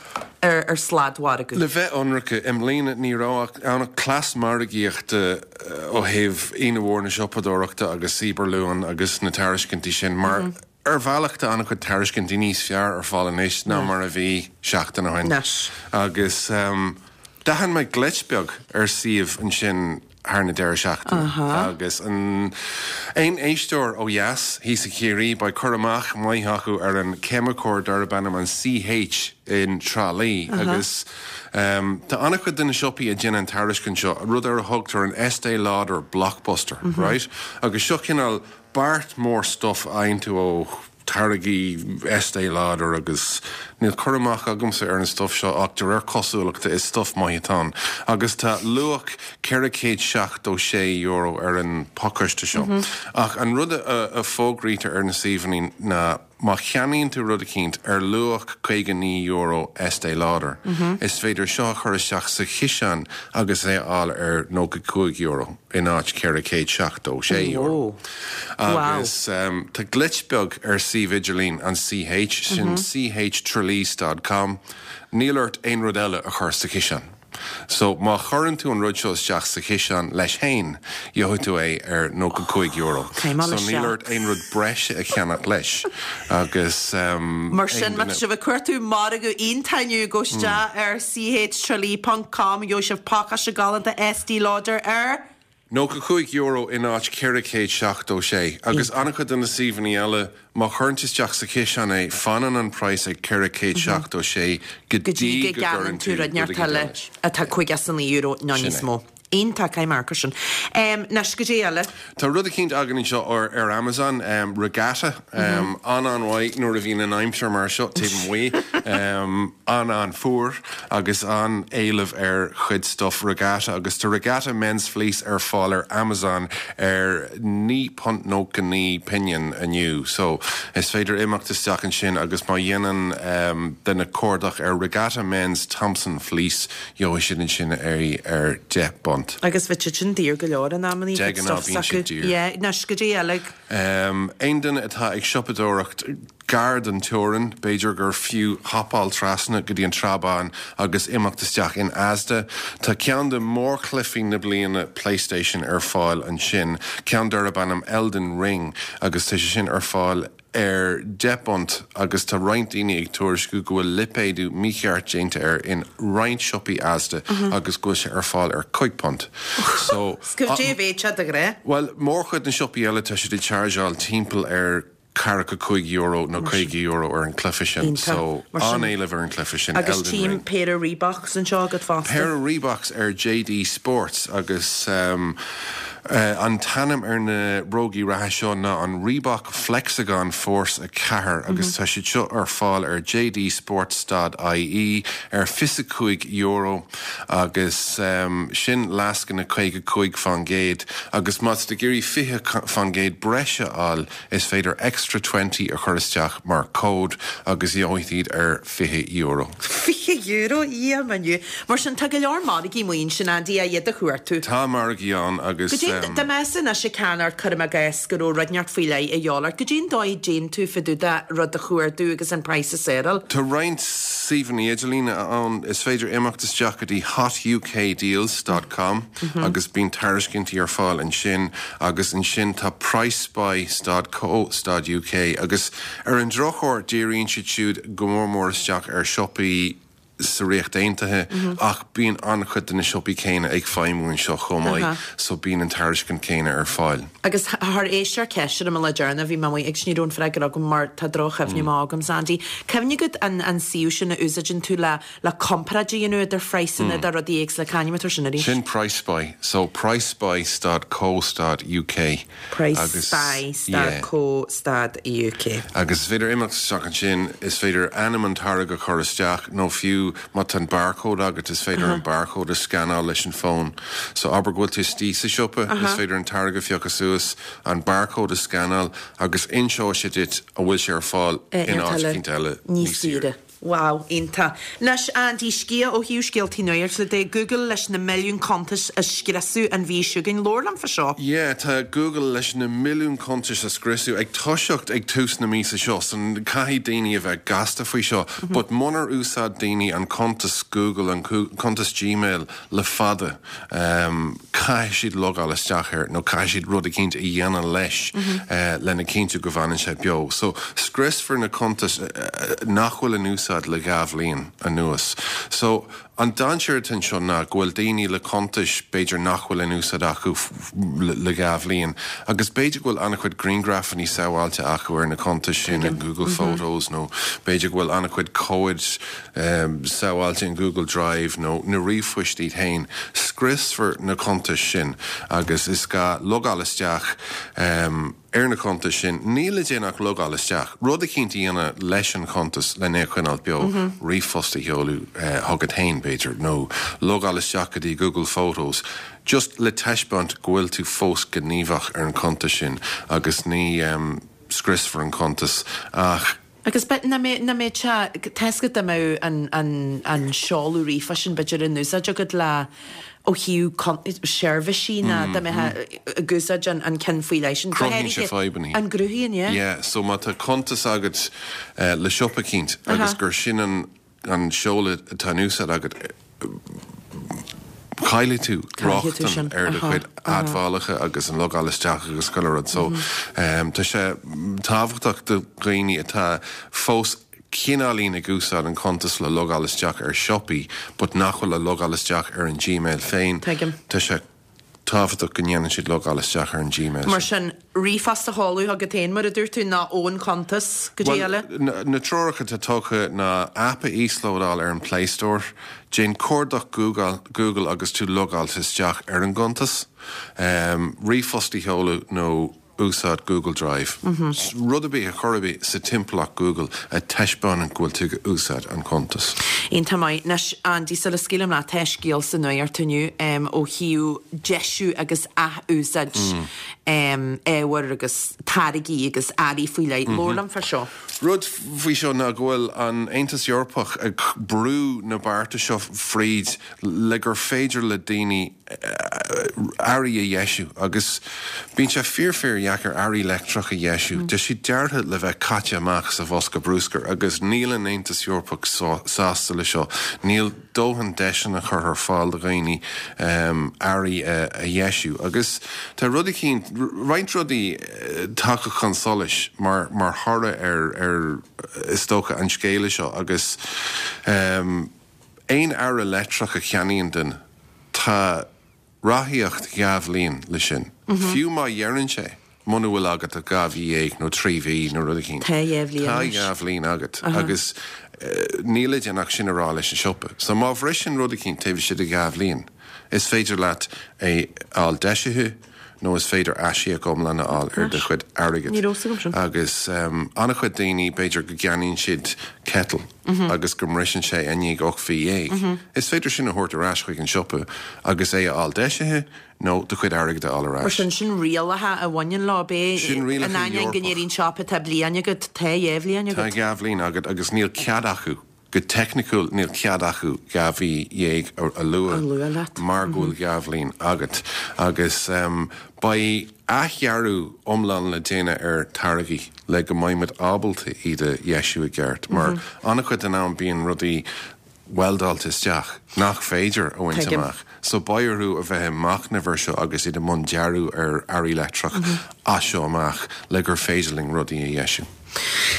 ar, ar sladmhargadh. Le bheith ionraice, i mbliana ní raibh ann ach cleas margaíochta ó thaobh Aoine Mhór na Siopadóireachta agus Cyber Luan agus na tairiscintí sin mar mm -hmm. ar bhealach tá an-chuid tairiscintí níos fearr ar fáil anois ná mar a bhí seachtain ó shin. Agus um, D'aithin mé glitch beag ar suíomh ansin thar na deireadh seachtaine agus an aon éisteoir ó dheas thíos i Ciarraí beidh cur amach maith acu ar an ceimiceoir darb ainm an CH in Trá Lí agus tá an-chuid de na siopaí a dhéanann an tairiscint seo, rud ar a thugtar an Estée Lauder Blockbuster, right? Agus seo cineál beart mór stuff a fhaigheann tú ó táirgí Estée Lauder agus níl cur amach agamsa ar an stuff seo ach de réir cosúlachta is stuff maith atá ann. Agus tá luach ceithre chéad seachtó sé euro ar an phacáiste seo. Ach an rud a fógraítear ar na suíomhanna ná má cheannaíonn tú rud eicínt ar luach caoga naoi euro Estée Lauder, is féidir seo a chur isteach sa chiseán agus é a fháil ar nócha cúig euro in áit ceithre chéad seachtó sé euro. Agus tá glitch beag ar suíomh idirlín an CH, sin chtralee dot com, níl ort aon rud eile a chur sa chiseán. So má chuireann tú an rud seo isteach sa chiseán leis féin, gheobhaidh tú é ar nócha cúig euro. So níl ort aon rud breise a cheannach leis. Agus Mar sin, má tá sibh ag cuartú margadh iontach inniu, gabh isteach ar chtralee ponc com, gheobhaidh sibh pacáiste galánta Estée Lauder ar. Nócha cúig euro in áit ceithre chéad seachtó sé. Agus an-chuid de na suíomhanna eile, má chuireann tú isteach sa chiseán é, fanann an praghas ag ceithre chéad seachtó sé go dtí go gcuireann tú rud éigin eile atá caoga is a naoi euro nó níos mó. Iontach, caithfidh mé amharc air sin. Anois, goidé eile? Tá rud eicínt againn anseo ar Amazon, Regatta, an-an-mhaith nuair a bhíonn an aimsir mar seo taobh amuigh, an-an-fhuar agus an-éileamh ar chuid stuff Regatta agus tá Regatta Men's Fleece ar fáil ar Amazon ar naoi punt nócha naoi pingin inniu. So is féidir imeacht isteach ansin agus má dhéanann duine cuardach ar Regatta Men's Thompson Fleece gheobhaidh siad ansin é ar deich bpunt. Agus bheadh siad sin daor go leor in amannaí, De ghnáth bíonn siad daor. Yeah, anois goidé eile. Aon duine atá ag siopadóireacht gar don teorainn, b'fhéidir gur fiú hopáil trasna go dtí an Srath Bán agus imeacht isteach in Asda. Tá ceann de mhórchluichí na bliana PlayStation ar fáil ansin, ceann darb ainm Elden Ring, agus tá sé sin ar fáil ar deich bpunt agus tá roinnt daoine ag tuairisciú go bhfuil lipéadú mícheart déanta air in roinnt siopaí Asda agus go bhfuil sé ar fáil ar cúig punt. So, Goidé a bheadh sé de ghnáth? Bhuel, mórchuid na siopaí eile tá siad ag chargeáil timpeall ar ceathracha cúig euro nó caoga euro ar an cluiche sin. So, an-éileamh ar an cluiche sin, Agus Elden tím Ring. péire Reeboks anseo agat fosta. Péire Reeboks ar JD Sports agus An t-ainm ar na brógaí reatha seo ná an Reebok Flexagon Force a ceathair agus tá siad seo ar fáil ar J D Sports dot I E ar fiche cúig euro agus sin lascaine caoga cúig faoin gcéad agus má tá tú ag iarraidh fiche faoin gcéad breise a fháil, is féidir extra twenty a chur isteach mar cód agus gheobhaidh iad ar fiche euro. Fiche euro, Dhia m'inniu. Mar sin tá go leor margaí amuigh ansin, Andy, a iad a chuartú. Tá margaí ann agus. Goidé dá mbeifeá anois ag ceannacht, cuirim i gcás go raibh rud inteacht faoi leith a dhíobháil ort, goidé an dóigh a dtéann tú fá dtaobh de rud a chuardú agus an praghas a seiceáil? Tá roinnt suíomhanna idirlíne ann, is féidir imeacht isteach go dtí hotukdeals dot com agus bíonn tairiscintí ar fáil ansin agus ansin tá pricespy dot co dot uk agus ar an drochuair díríonn siad siúd go mór mór isteach ar siopaí sa Ríocht Aontaithe ach bíonn an-chuid de na siopaí céanna ag feidhmiú anseo chomh maith so bíonn an tairiscint céanna ar fáil. Agus thar éis ar ceist ar an le deireanach bhí mé amuigh ag ní raibh an freagra agam mar tá droch-chuimhne maith agam Andy. Cuimhnigh agat an an suíomh sin a úsáideann tú le le comparáid a dhéanamh idir phraghsanna de rudaí éagsúla cá hainm atá sin arís? Sin PriceSpy, so pricespy dot co dot uk. pricespy dot co dot uk. Agus is féidir imeacht isteach ansin, is féidir ainm an táirge a chur isteach nó fiú má tá an barcode agat is féidir an barcode a scannáil leis an fón. So abair go bhfuil tú istigh sa siopa, is féidir an táirge a phiocadh suas, an barcode a scannáil agus inseoidh sé duit an bhfuil sé ar fáil in áit eicínt eile níos saoire. Wow, iontach. Anois Andy scéal ó thaobh scéaltaí nuachta de Google leis na milliún cuntas a scriosadh an mhí seo chugainn. Labhair liom fá seo. Yeah, tá Google leis na milliún cuntais a scriosadh ag toiseacht ag tús na míosa seo, so caithfidh daoine a bheith gasta faoi seo. But munar úsáid daoine an cuntas Google, an cuntas Gmail le fada, um, caithfidh siad logáil isteach air nó caithfidh siad rud eicínt a dhéanamh leis mm -hmm. uh, lena cinntiú go bhfanann sé beo. So scriosfar na cuntais uh, nach bhfuil in úsáid le dhá bhliain anuas. So an dainséar anseo ná go bhfuil daoine le cuntais b'fhéidir nach bhfuil in úsáid acu le dhá bhliain, agus b'fhéidir go bhfuil an-chuid grianghrafanna sábháilte acu ar na cuntais sin in Google mm -hmm. Photos nó b'fhéidir go bhfuil an-chuid comhaid um, sábháilte in Google Drive nó na ríomhphoist iad féin. Scriosfar na cuntais sin agus is gá logáil isteach um, ar na cuntais sin níl le déanamh ach logáil isteach. Rud eicínt a dhéanamh leis an chuntas lena choinneáil beo mm -hmm. ríomhphost a sheoladh uh, chugat féin b'fhéidir nó logáil isteach go dtí Google Photos. Just le taispeáint go bhfuil tú fós gníomhach ar an chuntas sin agus ní um, scriosfar an cuntas ach Agus be na mé na mé tesca da mé an an an seoladh ríomhphoist sin b'fhéidir in úsáid agat le ó thaobh seirbhísí na da mé ag úsáid an an ceann faoi leis sin. Cruthaíonn sé fadhbanna. An gcruthaíonn, yeah? Yeah, so má tá cuntas agat uh, le siopa eicínt agus gur sin an an seoladh atá in úsáid agat caillfidh tú rochtain ar do chuid admhálacha agus an logáil isteach agus chuile rud so um, tá sé tábhachtach do dhaoine atá fós cineáilín ag úsáid an cuntas le logáil isteach ar siopaí, but nach bhfuil le logáil isteach ar an Gmail féin. Tá sé tábhachtach go ndéanann siad logáil isteach ar an Gmail. Mar sin ríomhphost a sheoladh chugat féin mar a dúirt tú ná ón chuntas go dtí eile? Na treoracha atá tugtha ná app a íoslódáil ar an Play Store, déan cuardach Google, Google agus tú logáilte isteach ar an gcuntas, um, ríomhphost a sheoladh nó úsáid Google Drive. Mm -hmm. Rud ar bith a chur ar bith sa timpeallacht Google a taispeánann go bhfuil tú ag úsáid an cuntas. Iontach maith anois Andy sula scaoilim leat tá scéal sa nuacht inniu um, ó thaobh deisiú agus athúsáid mm. um, ábhar agus táirgí agus earraí faoi leith. Mm -hmm. Labhair liom fá seo. Rud faoi seo ná go bhfuil an Aontas Eorpach ag brú na bearta seo fríd le gur féidir le daoine earraí a dheisiú agus bíonn sé fíor fíor dheacair earraí leictreach a dheisiú. Mm. Tá siad deartha le bheith caite amach sa bhosca bruscair agus níl an Aontas Eorpach sásta le seo. Níl dóthain deiseanna curtha ar fáil do dhaoine um, earraí a, a dheisiú. Agus tá rudaí cinn roinnt rudaí tagtha chun solais mar mar thoradh ar ar is dócha an scéala seo agus um, aon earra leictreach a cheannaíonn duine tá ráthaíocht dhá bhliain le sin. Mm -hmm. Fiú má dheireann sé muna bhfuil agat a dhá mhí déag nó trí mhí nó rud éigin. Tá Tá dhá bhliain agat agus uh, níl le déanamh ach sin a rá leis an siopa. So má bhriseann rud éigin taobh istigh de dhá bhliain. Is féidir leat é fháil deisithe nó is féidir aisíoc iomlán a fháil ar do chuid airgid. Ní raibh a fhios agam sin. Agus an-chuid daoine, b'fhéidir go gceannaíonn siad kettle agus go mbriseann sé i ndiaidh ocht mhí dhéag. Is féidir sin a thabhairt ar ais chuig an siopa agus é a fháil deisithe nó do chuid airgid a fháil ar Mar ais. sin, sin rialacha a bhaineann leo, b'é Sin rialacha in ainneoin go Eorpach. ndeireann siopa tá bliain agat, tá dhá bhliain Tá agat. dhá bhliain agat agus níl cead acu, go teicniciúil níl cead acu dhá mhí dhéag a a lua A lua leat. mar go bhfuil dhá bhliain agat. Agus beidh athdhearadh iomlán le déanamh ar táirgí le go mbeidh muid ábalta iad a dheisiú i gceart, mar an-chuid den am bíonn rudaí weldáilte isteach nach féidir a bhaint Tuigim. amach. So beidh orthu a bheith ag machnamh air seo agus iad i mbun dearadh ar earraí leictreach as seo amach le gur féidir linn rudaí a dheisiú.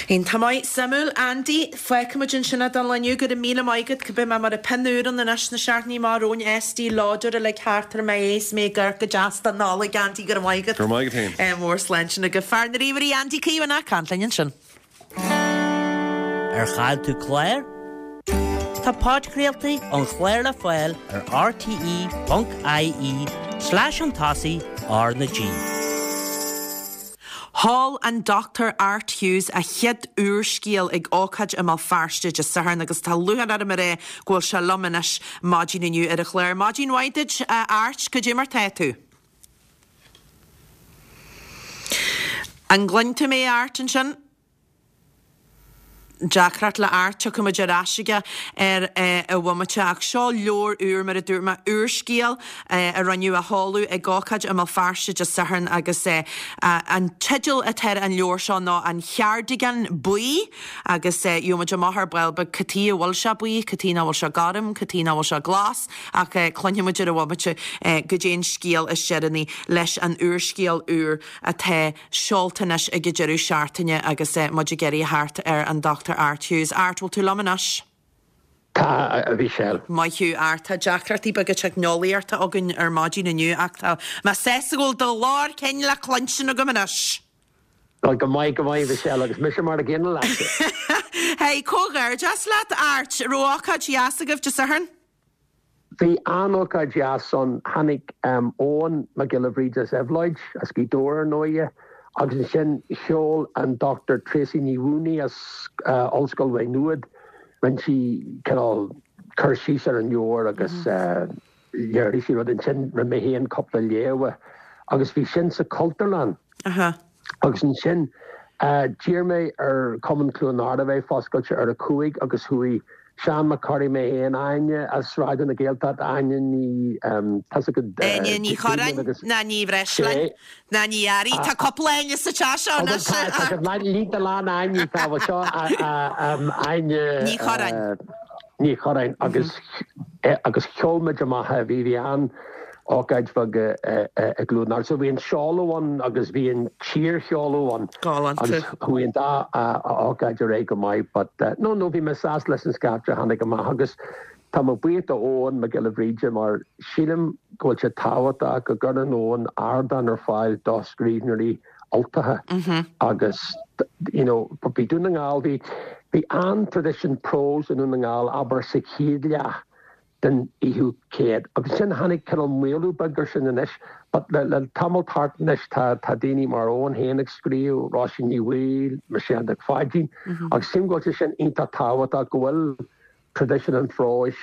Iontach maith, suimiúil, Andy, fágfaimid ansin é don lá inniu, go raibh míle maith agat, beidh mé mar a pinniúr ann anois na seachtainí amach romhainn, Estée Lauder uilig thart ar m'aos, mé ag amharc go deas don Nollaig, Andy, go raibh maith agat. Go raibh maith agat féin. Mór sláinte go fear na ríomhairí Andy Caomhánach, caint linn ansin. Ar chaill tú clár? Tá podchraoltaí an chláir le fáil ar rte.ie slash an tosaigh R na G. Sheol an Dr Art Hughes a chéad úrscéal ag ócáid i mBéal Feirste Dé Sathairn agus tá lúcháir orm a rá go bhfuil sé liom anois maidin inniu ar an chlár. Maidin mhaith duit, Art, cad é mar tá tú? An gcluin tú mé Art ansin? Deacracht le Art, tiocfaidh muid ar ais aige ar a bhomaite ach seo leabhar úr mar a dúirt mé úrscéal a rinneadh a sheoladh ag ócáid i mBéal Feirste Dé Sathairn agus an teideal atá ar an leabhar seo ná An Cheardigan Buí agus gheobhaidh muid amach ar ball beag cad chuige a bhfuil sé buí, cad chuige nach bhfuil sé gorm, cad chuige nach bhfuil sé glas ach cluinfidh muid ar a bhomaite cad é an scéal is deireanaí leis an úrscéal úr atá seolta anois ag an deireadh seachtaine agus muid ag iarraidh thart ar an Dr Art Hughes. Art, bhfuil tú liom anois? Tá, a Mhichelle. Maith thú, Art. Tá deacrachtaí beaga teicneolaíochta againn ar maidin inniu ach tá mé sásta go bhfuil do ghlór cinn le cluinstin agam anois. Bhuel, go maith, go maith, Michelle, agus mise mar a gcéanna leat. Hey, comhghairdeas leat, Art. Raibh ócáid dheas agaibh Dé Sathairn? Bhí an-ócáid dheas ann. Tháinig Eoghan Mac Giolla Bhríde as Éabhlóid, as Gaoth Dobhair ar ndóighe, agus ansin sheol an Dr Tracey Ní Mhaonaigh as Ollscoil Mhaigh Nuad, rinne sí cineál cur síos ar an leabhar agus léirigh sí rud. Ansin rinne mé féin cúpla léamh agus bhí sin sa Chultúrlann. Agus ansin d'iarr mé ar Chumann Chluain Ard a bheith foscailte ar a cúig agus chuaigh Seán Mac Corraidh, mé féin, Áine as Raidió na Gaeltachta, Áine Ní, tá's agat, Áine Ní Chorráin ná Ní Bhreisleáin ná Ní Fhearraigh, tá cúpla Áine sa teach seo anois. Tá, tá liosta lán Áine, tá, bhuel seo Áine Ní Chorráin. Ní Chorráin agus agus sheol muid amach é, bhí, bhí an-ócáid bheag i gCluain Ard. So bhí an seoladh ann agus bhí an t-iarsheoladh ann. Galánta. Agus chuaigh an dá ócáid ar aghaidh go maith but no, no, bhí mé sásta leis an scaifte a tháinig amach agus tá mé buíoch do Eoghan Mac Giolla Bhríde mar sílim go bhfuil sé tábhachtach go gcuireann Eoghan ardán ar fáil do scríbhneoirí Ultacha agus you know bhí Dún na nGall, bhí, bhí an-traidisiún próis i nDún na nGall abair sa chéad leath den fhichiú céad. Agus ansin tháinig cineál maolú beag ar sin anois but le le tamall thart anois tá tá daoine mar Eoghan féin ag scríobh, Róisín Ní Bhaoill, Michelle Nic Pháidín agus sílim go bhfuil sé sin iontach tábhachtach go bhfuil traidisiún an phróis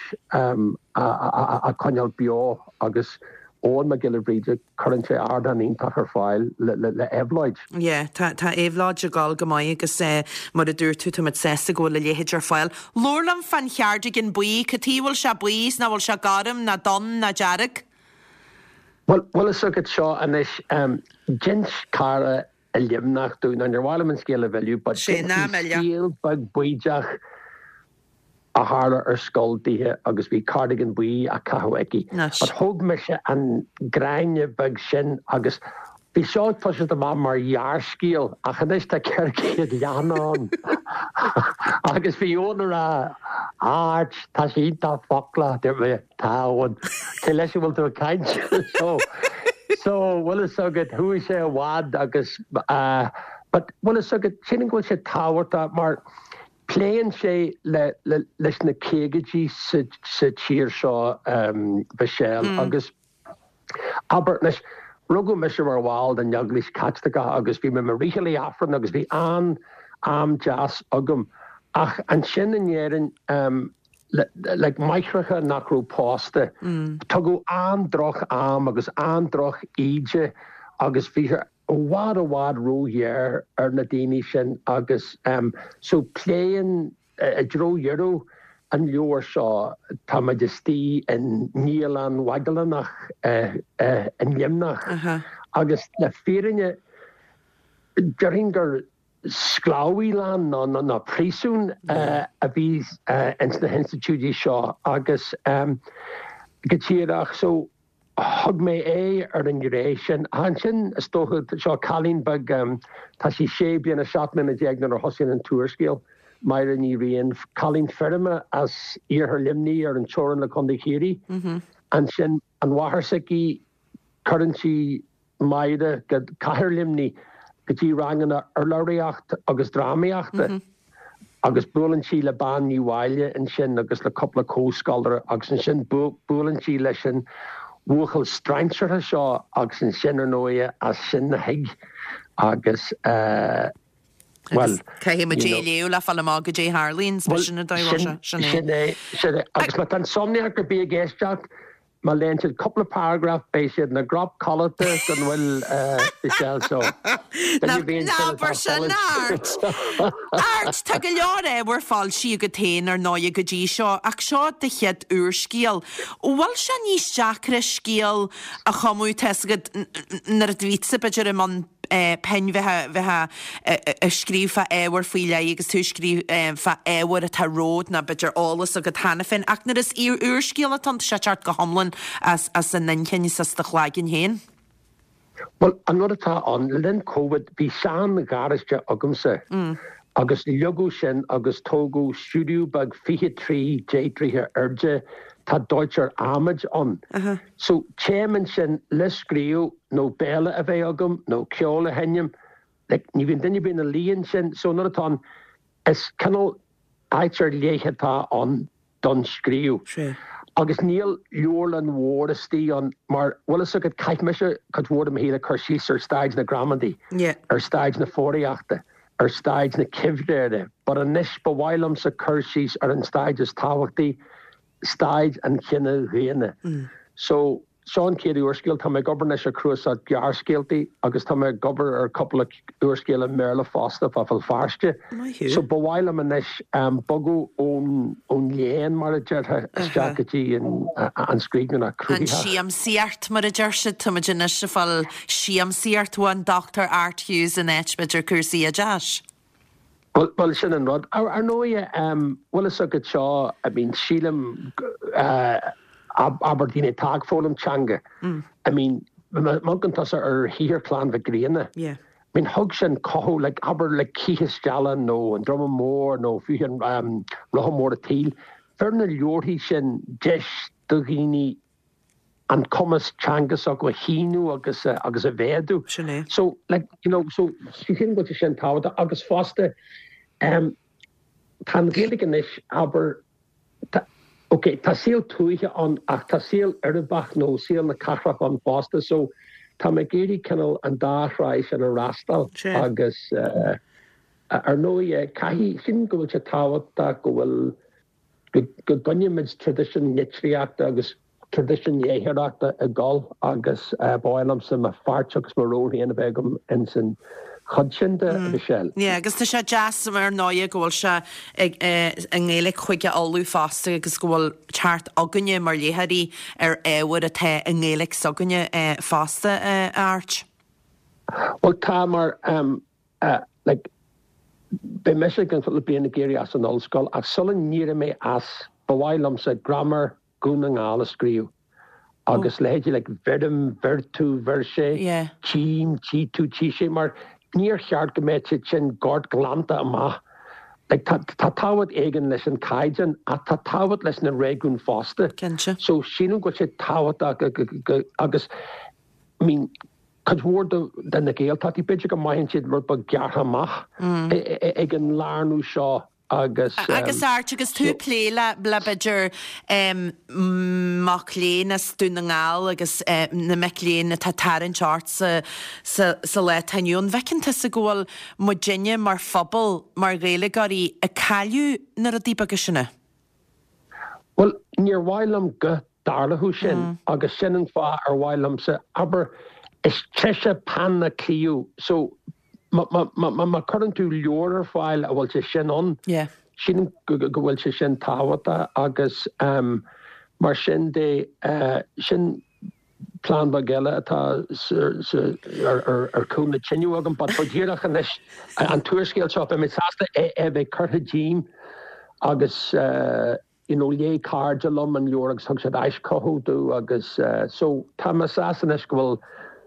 á coinneáil beo agus Eoghan Mac Giolla Bhríde cuireann sé ardán iontach ar fáil le le Éabhlóid. Yeah, tá tá Éabhlóid ag gabháil go maith agus eh, mar a dúirt tú tá muid sásta go bhfuil a leithéid ar fáil. Labhair liom fán cheardigan buí, cad chuige a bhfuil sé buí is nach bhfuil sé gorm ná donn ná dearg? Bhuel, bhfuil fhios agat seo anois, em, d'inis cara i Luimneach dúinn, níor mhaith liom an scéal a mhilleadh, but Sé ná milleadh. scéal beag baoideach a tharla ar scoil dithe agus bhí cardigan buí á caitheamh aici. Anois. But thóg mise an gráinne beag sin agus bhí seo ag toiseacht amach mar ghearrscéal ach anois tá ceithre chéad leathanach ann. Agus bhí Eoin ag rá, Art, tá sé iontach foclach, dúirt mé, tá Eoin, cé leis a bhfuil tú ag caint? So, so, bhfuil fhios agat, chuaigh sé i bhfad agus, uh, but bhfuil fhios agat, sílim go bhfuil sé tábhachtach mar pléann sé le, le, leis na caogaidí sa, sa tír seo, um, Michelle, agus abair, anois, Rugadh mise mar bhall den Eaglais Chaitliceach agus bhí mé mar fhriothálaí Aifrinn agus bhí an-am deas agam. Ach ansin in Éirinn, like máithreacha nach raibh pósta, tugadh an-droch-am agus an-droch-íde agus bhí sé i bhfad i bhfad róghéar ar na daoine sin agus so pléann i dtreo dheireadh an leabhair seo, táimid istigh i nDialann Mhagellanach i Luimneach agus le fírinne déarfainn gur sclábhaílann nó príosún a bhí ins na hinstitiúidí seo agus go díreach so thug mé aghaidh ar an ghné sin. Ansin is dócha, seo cailín beag, tá sí sé bliana, seacht mbliana déag nuair a thosaíonn an t-úrscéal, Máire Ní Riain, cailín feirme as iarthar Luimnigh ar an teorainn le Contae Chiarraí. Ansin an mháthair s'aici, cuireann sí Máire go cathair Luimnigh go dtí ranganna urlabhraíocht agus drámaíochta. Agus buaileann sí le Bean Ní Mháille ansin agus le cúpla comhscoláire agus ansin buaileann sí leis an bhuachaill strainséartha seo agus ansin ar ndóigh as sin a thig agus eh bhuel Caithfidh muid é a léamh le fáil amach goidé a tharlaíonn, sin an dóigh a bhfuil sé, sin é. Sin é, sin é. Agus má tá insomniac ar bith ag éisteacht, Má léann siad cúpla paragraf beidh siad ina gcrop codlata don bhfuil Michelle so. Ná habair sin, Art! Art, tá go leor ábhar foilsithe agat féin ar ndóigh go dtí seo, ach seo do chéad úrscéal. Bhfuil sé níos deacra scéal a chumadh, tá 'fhios agat, nuair a bhí tusa b'fhéidir i mbun pinn bheith bheith ag scríobh fá ábhar faoi leith agus tú ag scríobh fá ábhar atá romhat nó b'fhéidir eolas agat cheana féin ach nuair is úrscéal atá ann tá sé ag teacht go hiomlán as as an inchinn is as do chloigeann féin. Bhuel, an rud atá ann, le linn Covid bhí sean-gharáiste agamsa agus leagadh sin agus tógadh stiúideo beag fiche trí deich dtroithe airde, tá dóitear adhmaid ann. So téim ansin le scríobh nó béile a bheith agam nó ceol a sheinm, like ní bhíonn duine ar bith ina luí ansin, so an rud atá ann, is cineál áit ar leith atá ann don scríobh. Agus níl leabharlann mhór istigh ann mar, bhfuil fhios agat, chaith mise cuid mhór de mo shaol ag cur síos ar staid na gramadaí, ar staid na foghraíochta, ar staid na ciimhréire, but anois ba mhaith liomsa cur síos ar an staid is tábhachtaí, staid an chine dhaonna. So, seo an chéad úrscéal. Tá mé ag obair anois ar chnuasach gearrscéaltaí agus tá mé ag obair ar cúpla úrscéal i mBéarla fosta fá Bhéal Feirste. So, ba mhaith liom anois bogadh ón ón léann, mar a déarfá, isteach go dtí an scríbhneoireacht An chruthaitheach. siamsaíocht, mar a deir siad. Táimid anois ag fáil siamsaíocht ón Dochtúir Art Hughes in áit, b'fhéidir, cúrsaí oideachais. Bhuel, sin an rud. Ar ndóighe, bhfuil fhios agat seo, I mean, sílim, abair daoine atá ag foghlaim teanga, I mean, má amharcann tusa ar shaothar Chlann Mhic Grianna, I mean, thug sin cothú, like, abair, like Cíochas Stealla nó An Druma Mór nó fiú an Rotha Mór an tSaoil, fuair na leabharthaí sin deis do dhaoine an cumas teanga s'acu a shíniú agus agus a mhéadú. Sin é. So, like, you know, so sílim go bhfuil sé sin tábhachtach agus fosta em tá an Ghaeilge anois, abair, tá, ok, tá saol tuaithe ann ach tá saol uirbeach nó saol na cathrach ann fosta so tá mé ag iarraidh cineál an dá thráigh sin a fhreastal Sin. agus eh ar ndóigh caithfidh, sílim go bhfuil sé tábhachtach go bhfuil go gcoinnímid traidisiún litríochta agus traidisiún léitheoireachta ag dul agus ba mhaith liomsa mo pháirt agus mo ról féin a bheith agam ins an chuid sin de, a Mhichelle. Yeah, agus tá sé deas ar ndóighe go bhfuil sé ag i nGaeilge Chúige Uladh fosta agus go bhfuil teacht againne mar léitheoirí ar ábhar atá i nGaeilge s'againne fosta, a Airt. Bhuel tá mar like beidh mise i gcionn cúpla bliain ag éirí as an ollscoil ach sula n-éireoidh mé as ba mhaith liomsa graiméar Dhún na nGall a scríobh agus leithéidí like bheirim, bheir tú, bheir sé, tchím, tchí tú, tchí sé mar níor cheart go mbeadh siad sin gortghlanta amach. Like tá tá tábhacht éigin leis an caighdeán ach tá tábhacht leis na réigiúin fosta. Cinnte. So sílim go bhfuil sé tábhachtach go go go agus I mean Cuid mhór de na Gaeltachtaí, b'fhéidir go mbraitheann siad rud beag gearrtha amach ag an lárnú seo agus. Agus Art, agus tú ag plé le le b'fhéidir mac léinn as Dún na nGall agus na mic léinn atá ag tarraingt ort sa sa sa lá atá inniu ann, an bhfeiceann tusa go bhfuil muidinne mar phobal, mar Ghaeilgeoirí, ag cailleadh na rudaí beaga sin? Bhuel, níor mhaith liom go dtarlódh sin agus sin an fáth ar mhaith liomsa, abair, is treise peann ná claíomh so má chuireann tú leabhar ar fáil a bhfuil sé sin ann, sílim go bhfuil sé sin tábhachtach agus mar sin de, sin plean beag eile atá ar chúl na tine agam but go díreach anois an t-úrscéal seo beidh mé sásta é a bheith curtha díom agus you know léigh cairde liom an leabhar agus thug siad aischothú domh agus so tá mé sásta anois go bhfuil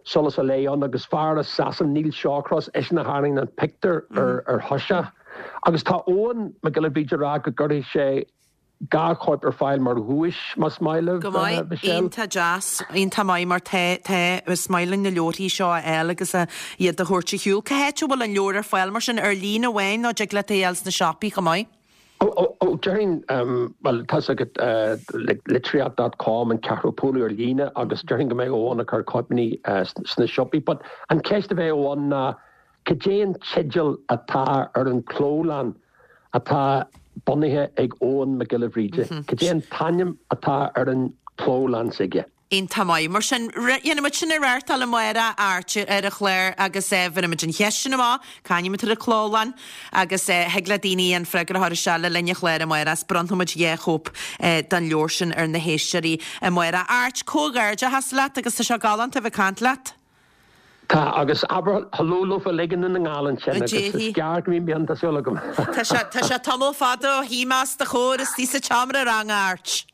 Solas an Lae ann agus fear as Sasana Neil Shawcross eisean a tharraing an pictiúr ar ar thoiseach agus tá Eoghan Mac Giolla Bhríde ag rá go gcuirfidh sé dhá chóip ar fáil mar dhuais más maith libh Go maith, Michelle. iontach deas, iontach maith mar tá, tá, is maith linn na leabharthaí seo a fháil agus a iad a thabhairt ar shiúl. Cá háit a bhfuil an leabhar ar fáil mar sin, ar líne amháin nó dtig leat é a fháil sna siopaí chomh maith? Ó, ó, ó, déarfainn, bhuel, tá's agat, like, litríocht dot com an ceathrú bualadh ar líne agus déarfainn go mbeidh Eoghan ag cur cóipeanna sna siopaí. But an cheist a bheadh ann ná cad é an teideal atá ar an clólann atá bunaithe ag Eoghan Mac Giolla Bhríde? Cad é an t-ainm atá ar an clólann s'aige? Iontach maith. Mar sin, dhéanfaidh muid sin a reáchtáil amárach, Art, ar an chlár agus bhéarfaidh muid an cheist sin amach, c'ainm atá ar an clólann agus thig le daoine an freagra a chur isteach le linn an chláir amárach is bronnfaidh muid dhá chóip den leabhar sin ar na héisteoirí amárach. Art, comhghairdeachas leat agus tá sé galánta a bheith ag caint leat. Tá, agus abair hello leofa uilig i nDún na nGall ansin agus is gearr go mbíonn mian tá súil agam. Tá sé, tá sé tamall fada ó shuigh mé os do chomhair istigh sa tseomra ranga, Art.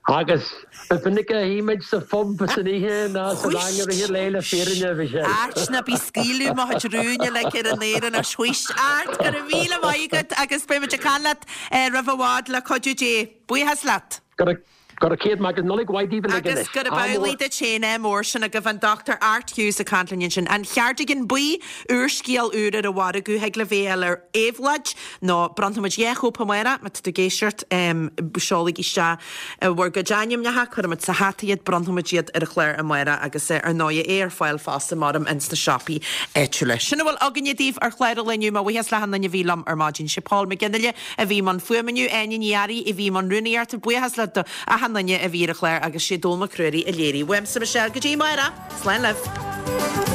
Agus ba mhinic a shuigh muid sa phub san oíche ná sa rang i rith an lae le fírinne, a Mhichelle. Art, ná bí ag scaoileadh mo chuid rúin uilig ar an aer anois, whuisht. Art, go raibh míle maith agat agus beidh muid ag caint leat roimh i bhfad le cuidiú Dé. Buíochas leat. Go raibh Go raibh céad maith agat, Nollaig mhaith daoibh uilig Agus anois. gurb Ádh amhlaidh mór. duit féin, ádh mór, sin agaibh an Dochtúir Art Hughes ag caint linn ansin. An Cheardigan Buí, úrscéal úr ar an mhargadh, thig libh é a fháil ar Éabhlóid nó bronnfaidh muid dhá chóip amárach, má tá tú ag éisteacht, seolaigí isteach bhur gcuid ainmneacha, cuirfidh muid sa hata iad, bronnfaidh muid iad ar an chlár amárach agus ar ndóigh é ar fáil fosta maram ins na siopaí áitiúla. Sin a bhfuil againne daoibh ar chlár an lae inniu. Mo bhuíochas le achan duine a bhí liom ar maidin. Sé Paul McGinley a bhí i mbun fuaime inniu, Áine Ní Fhearraigh a bhí i mbun rúnaíochta, buíochas le do achan duine a bhí ar an chlár agus sé Dónall Mac Ruairí a léirigh. Uaimse Michelle go dtí amárach. Slán libh.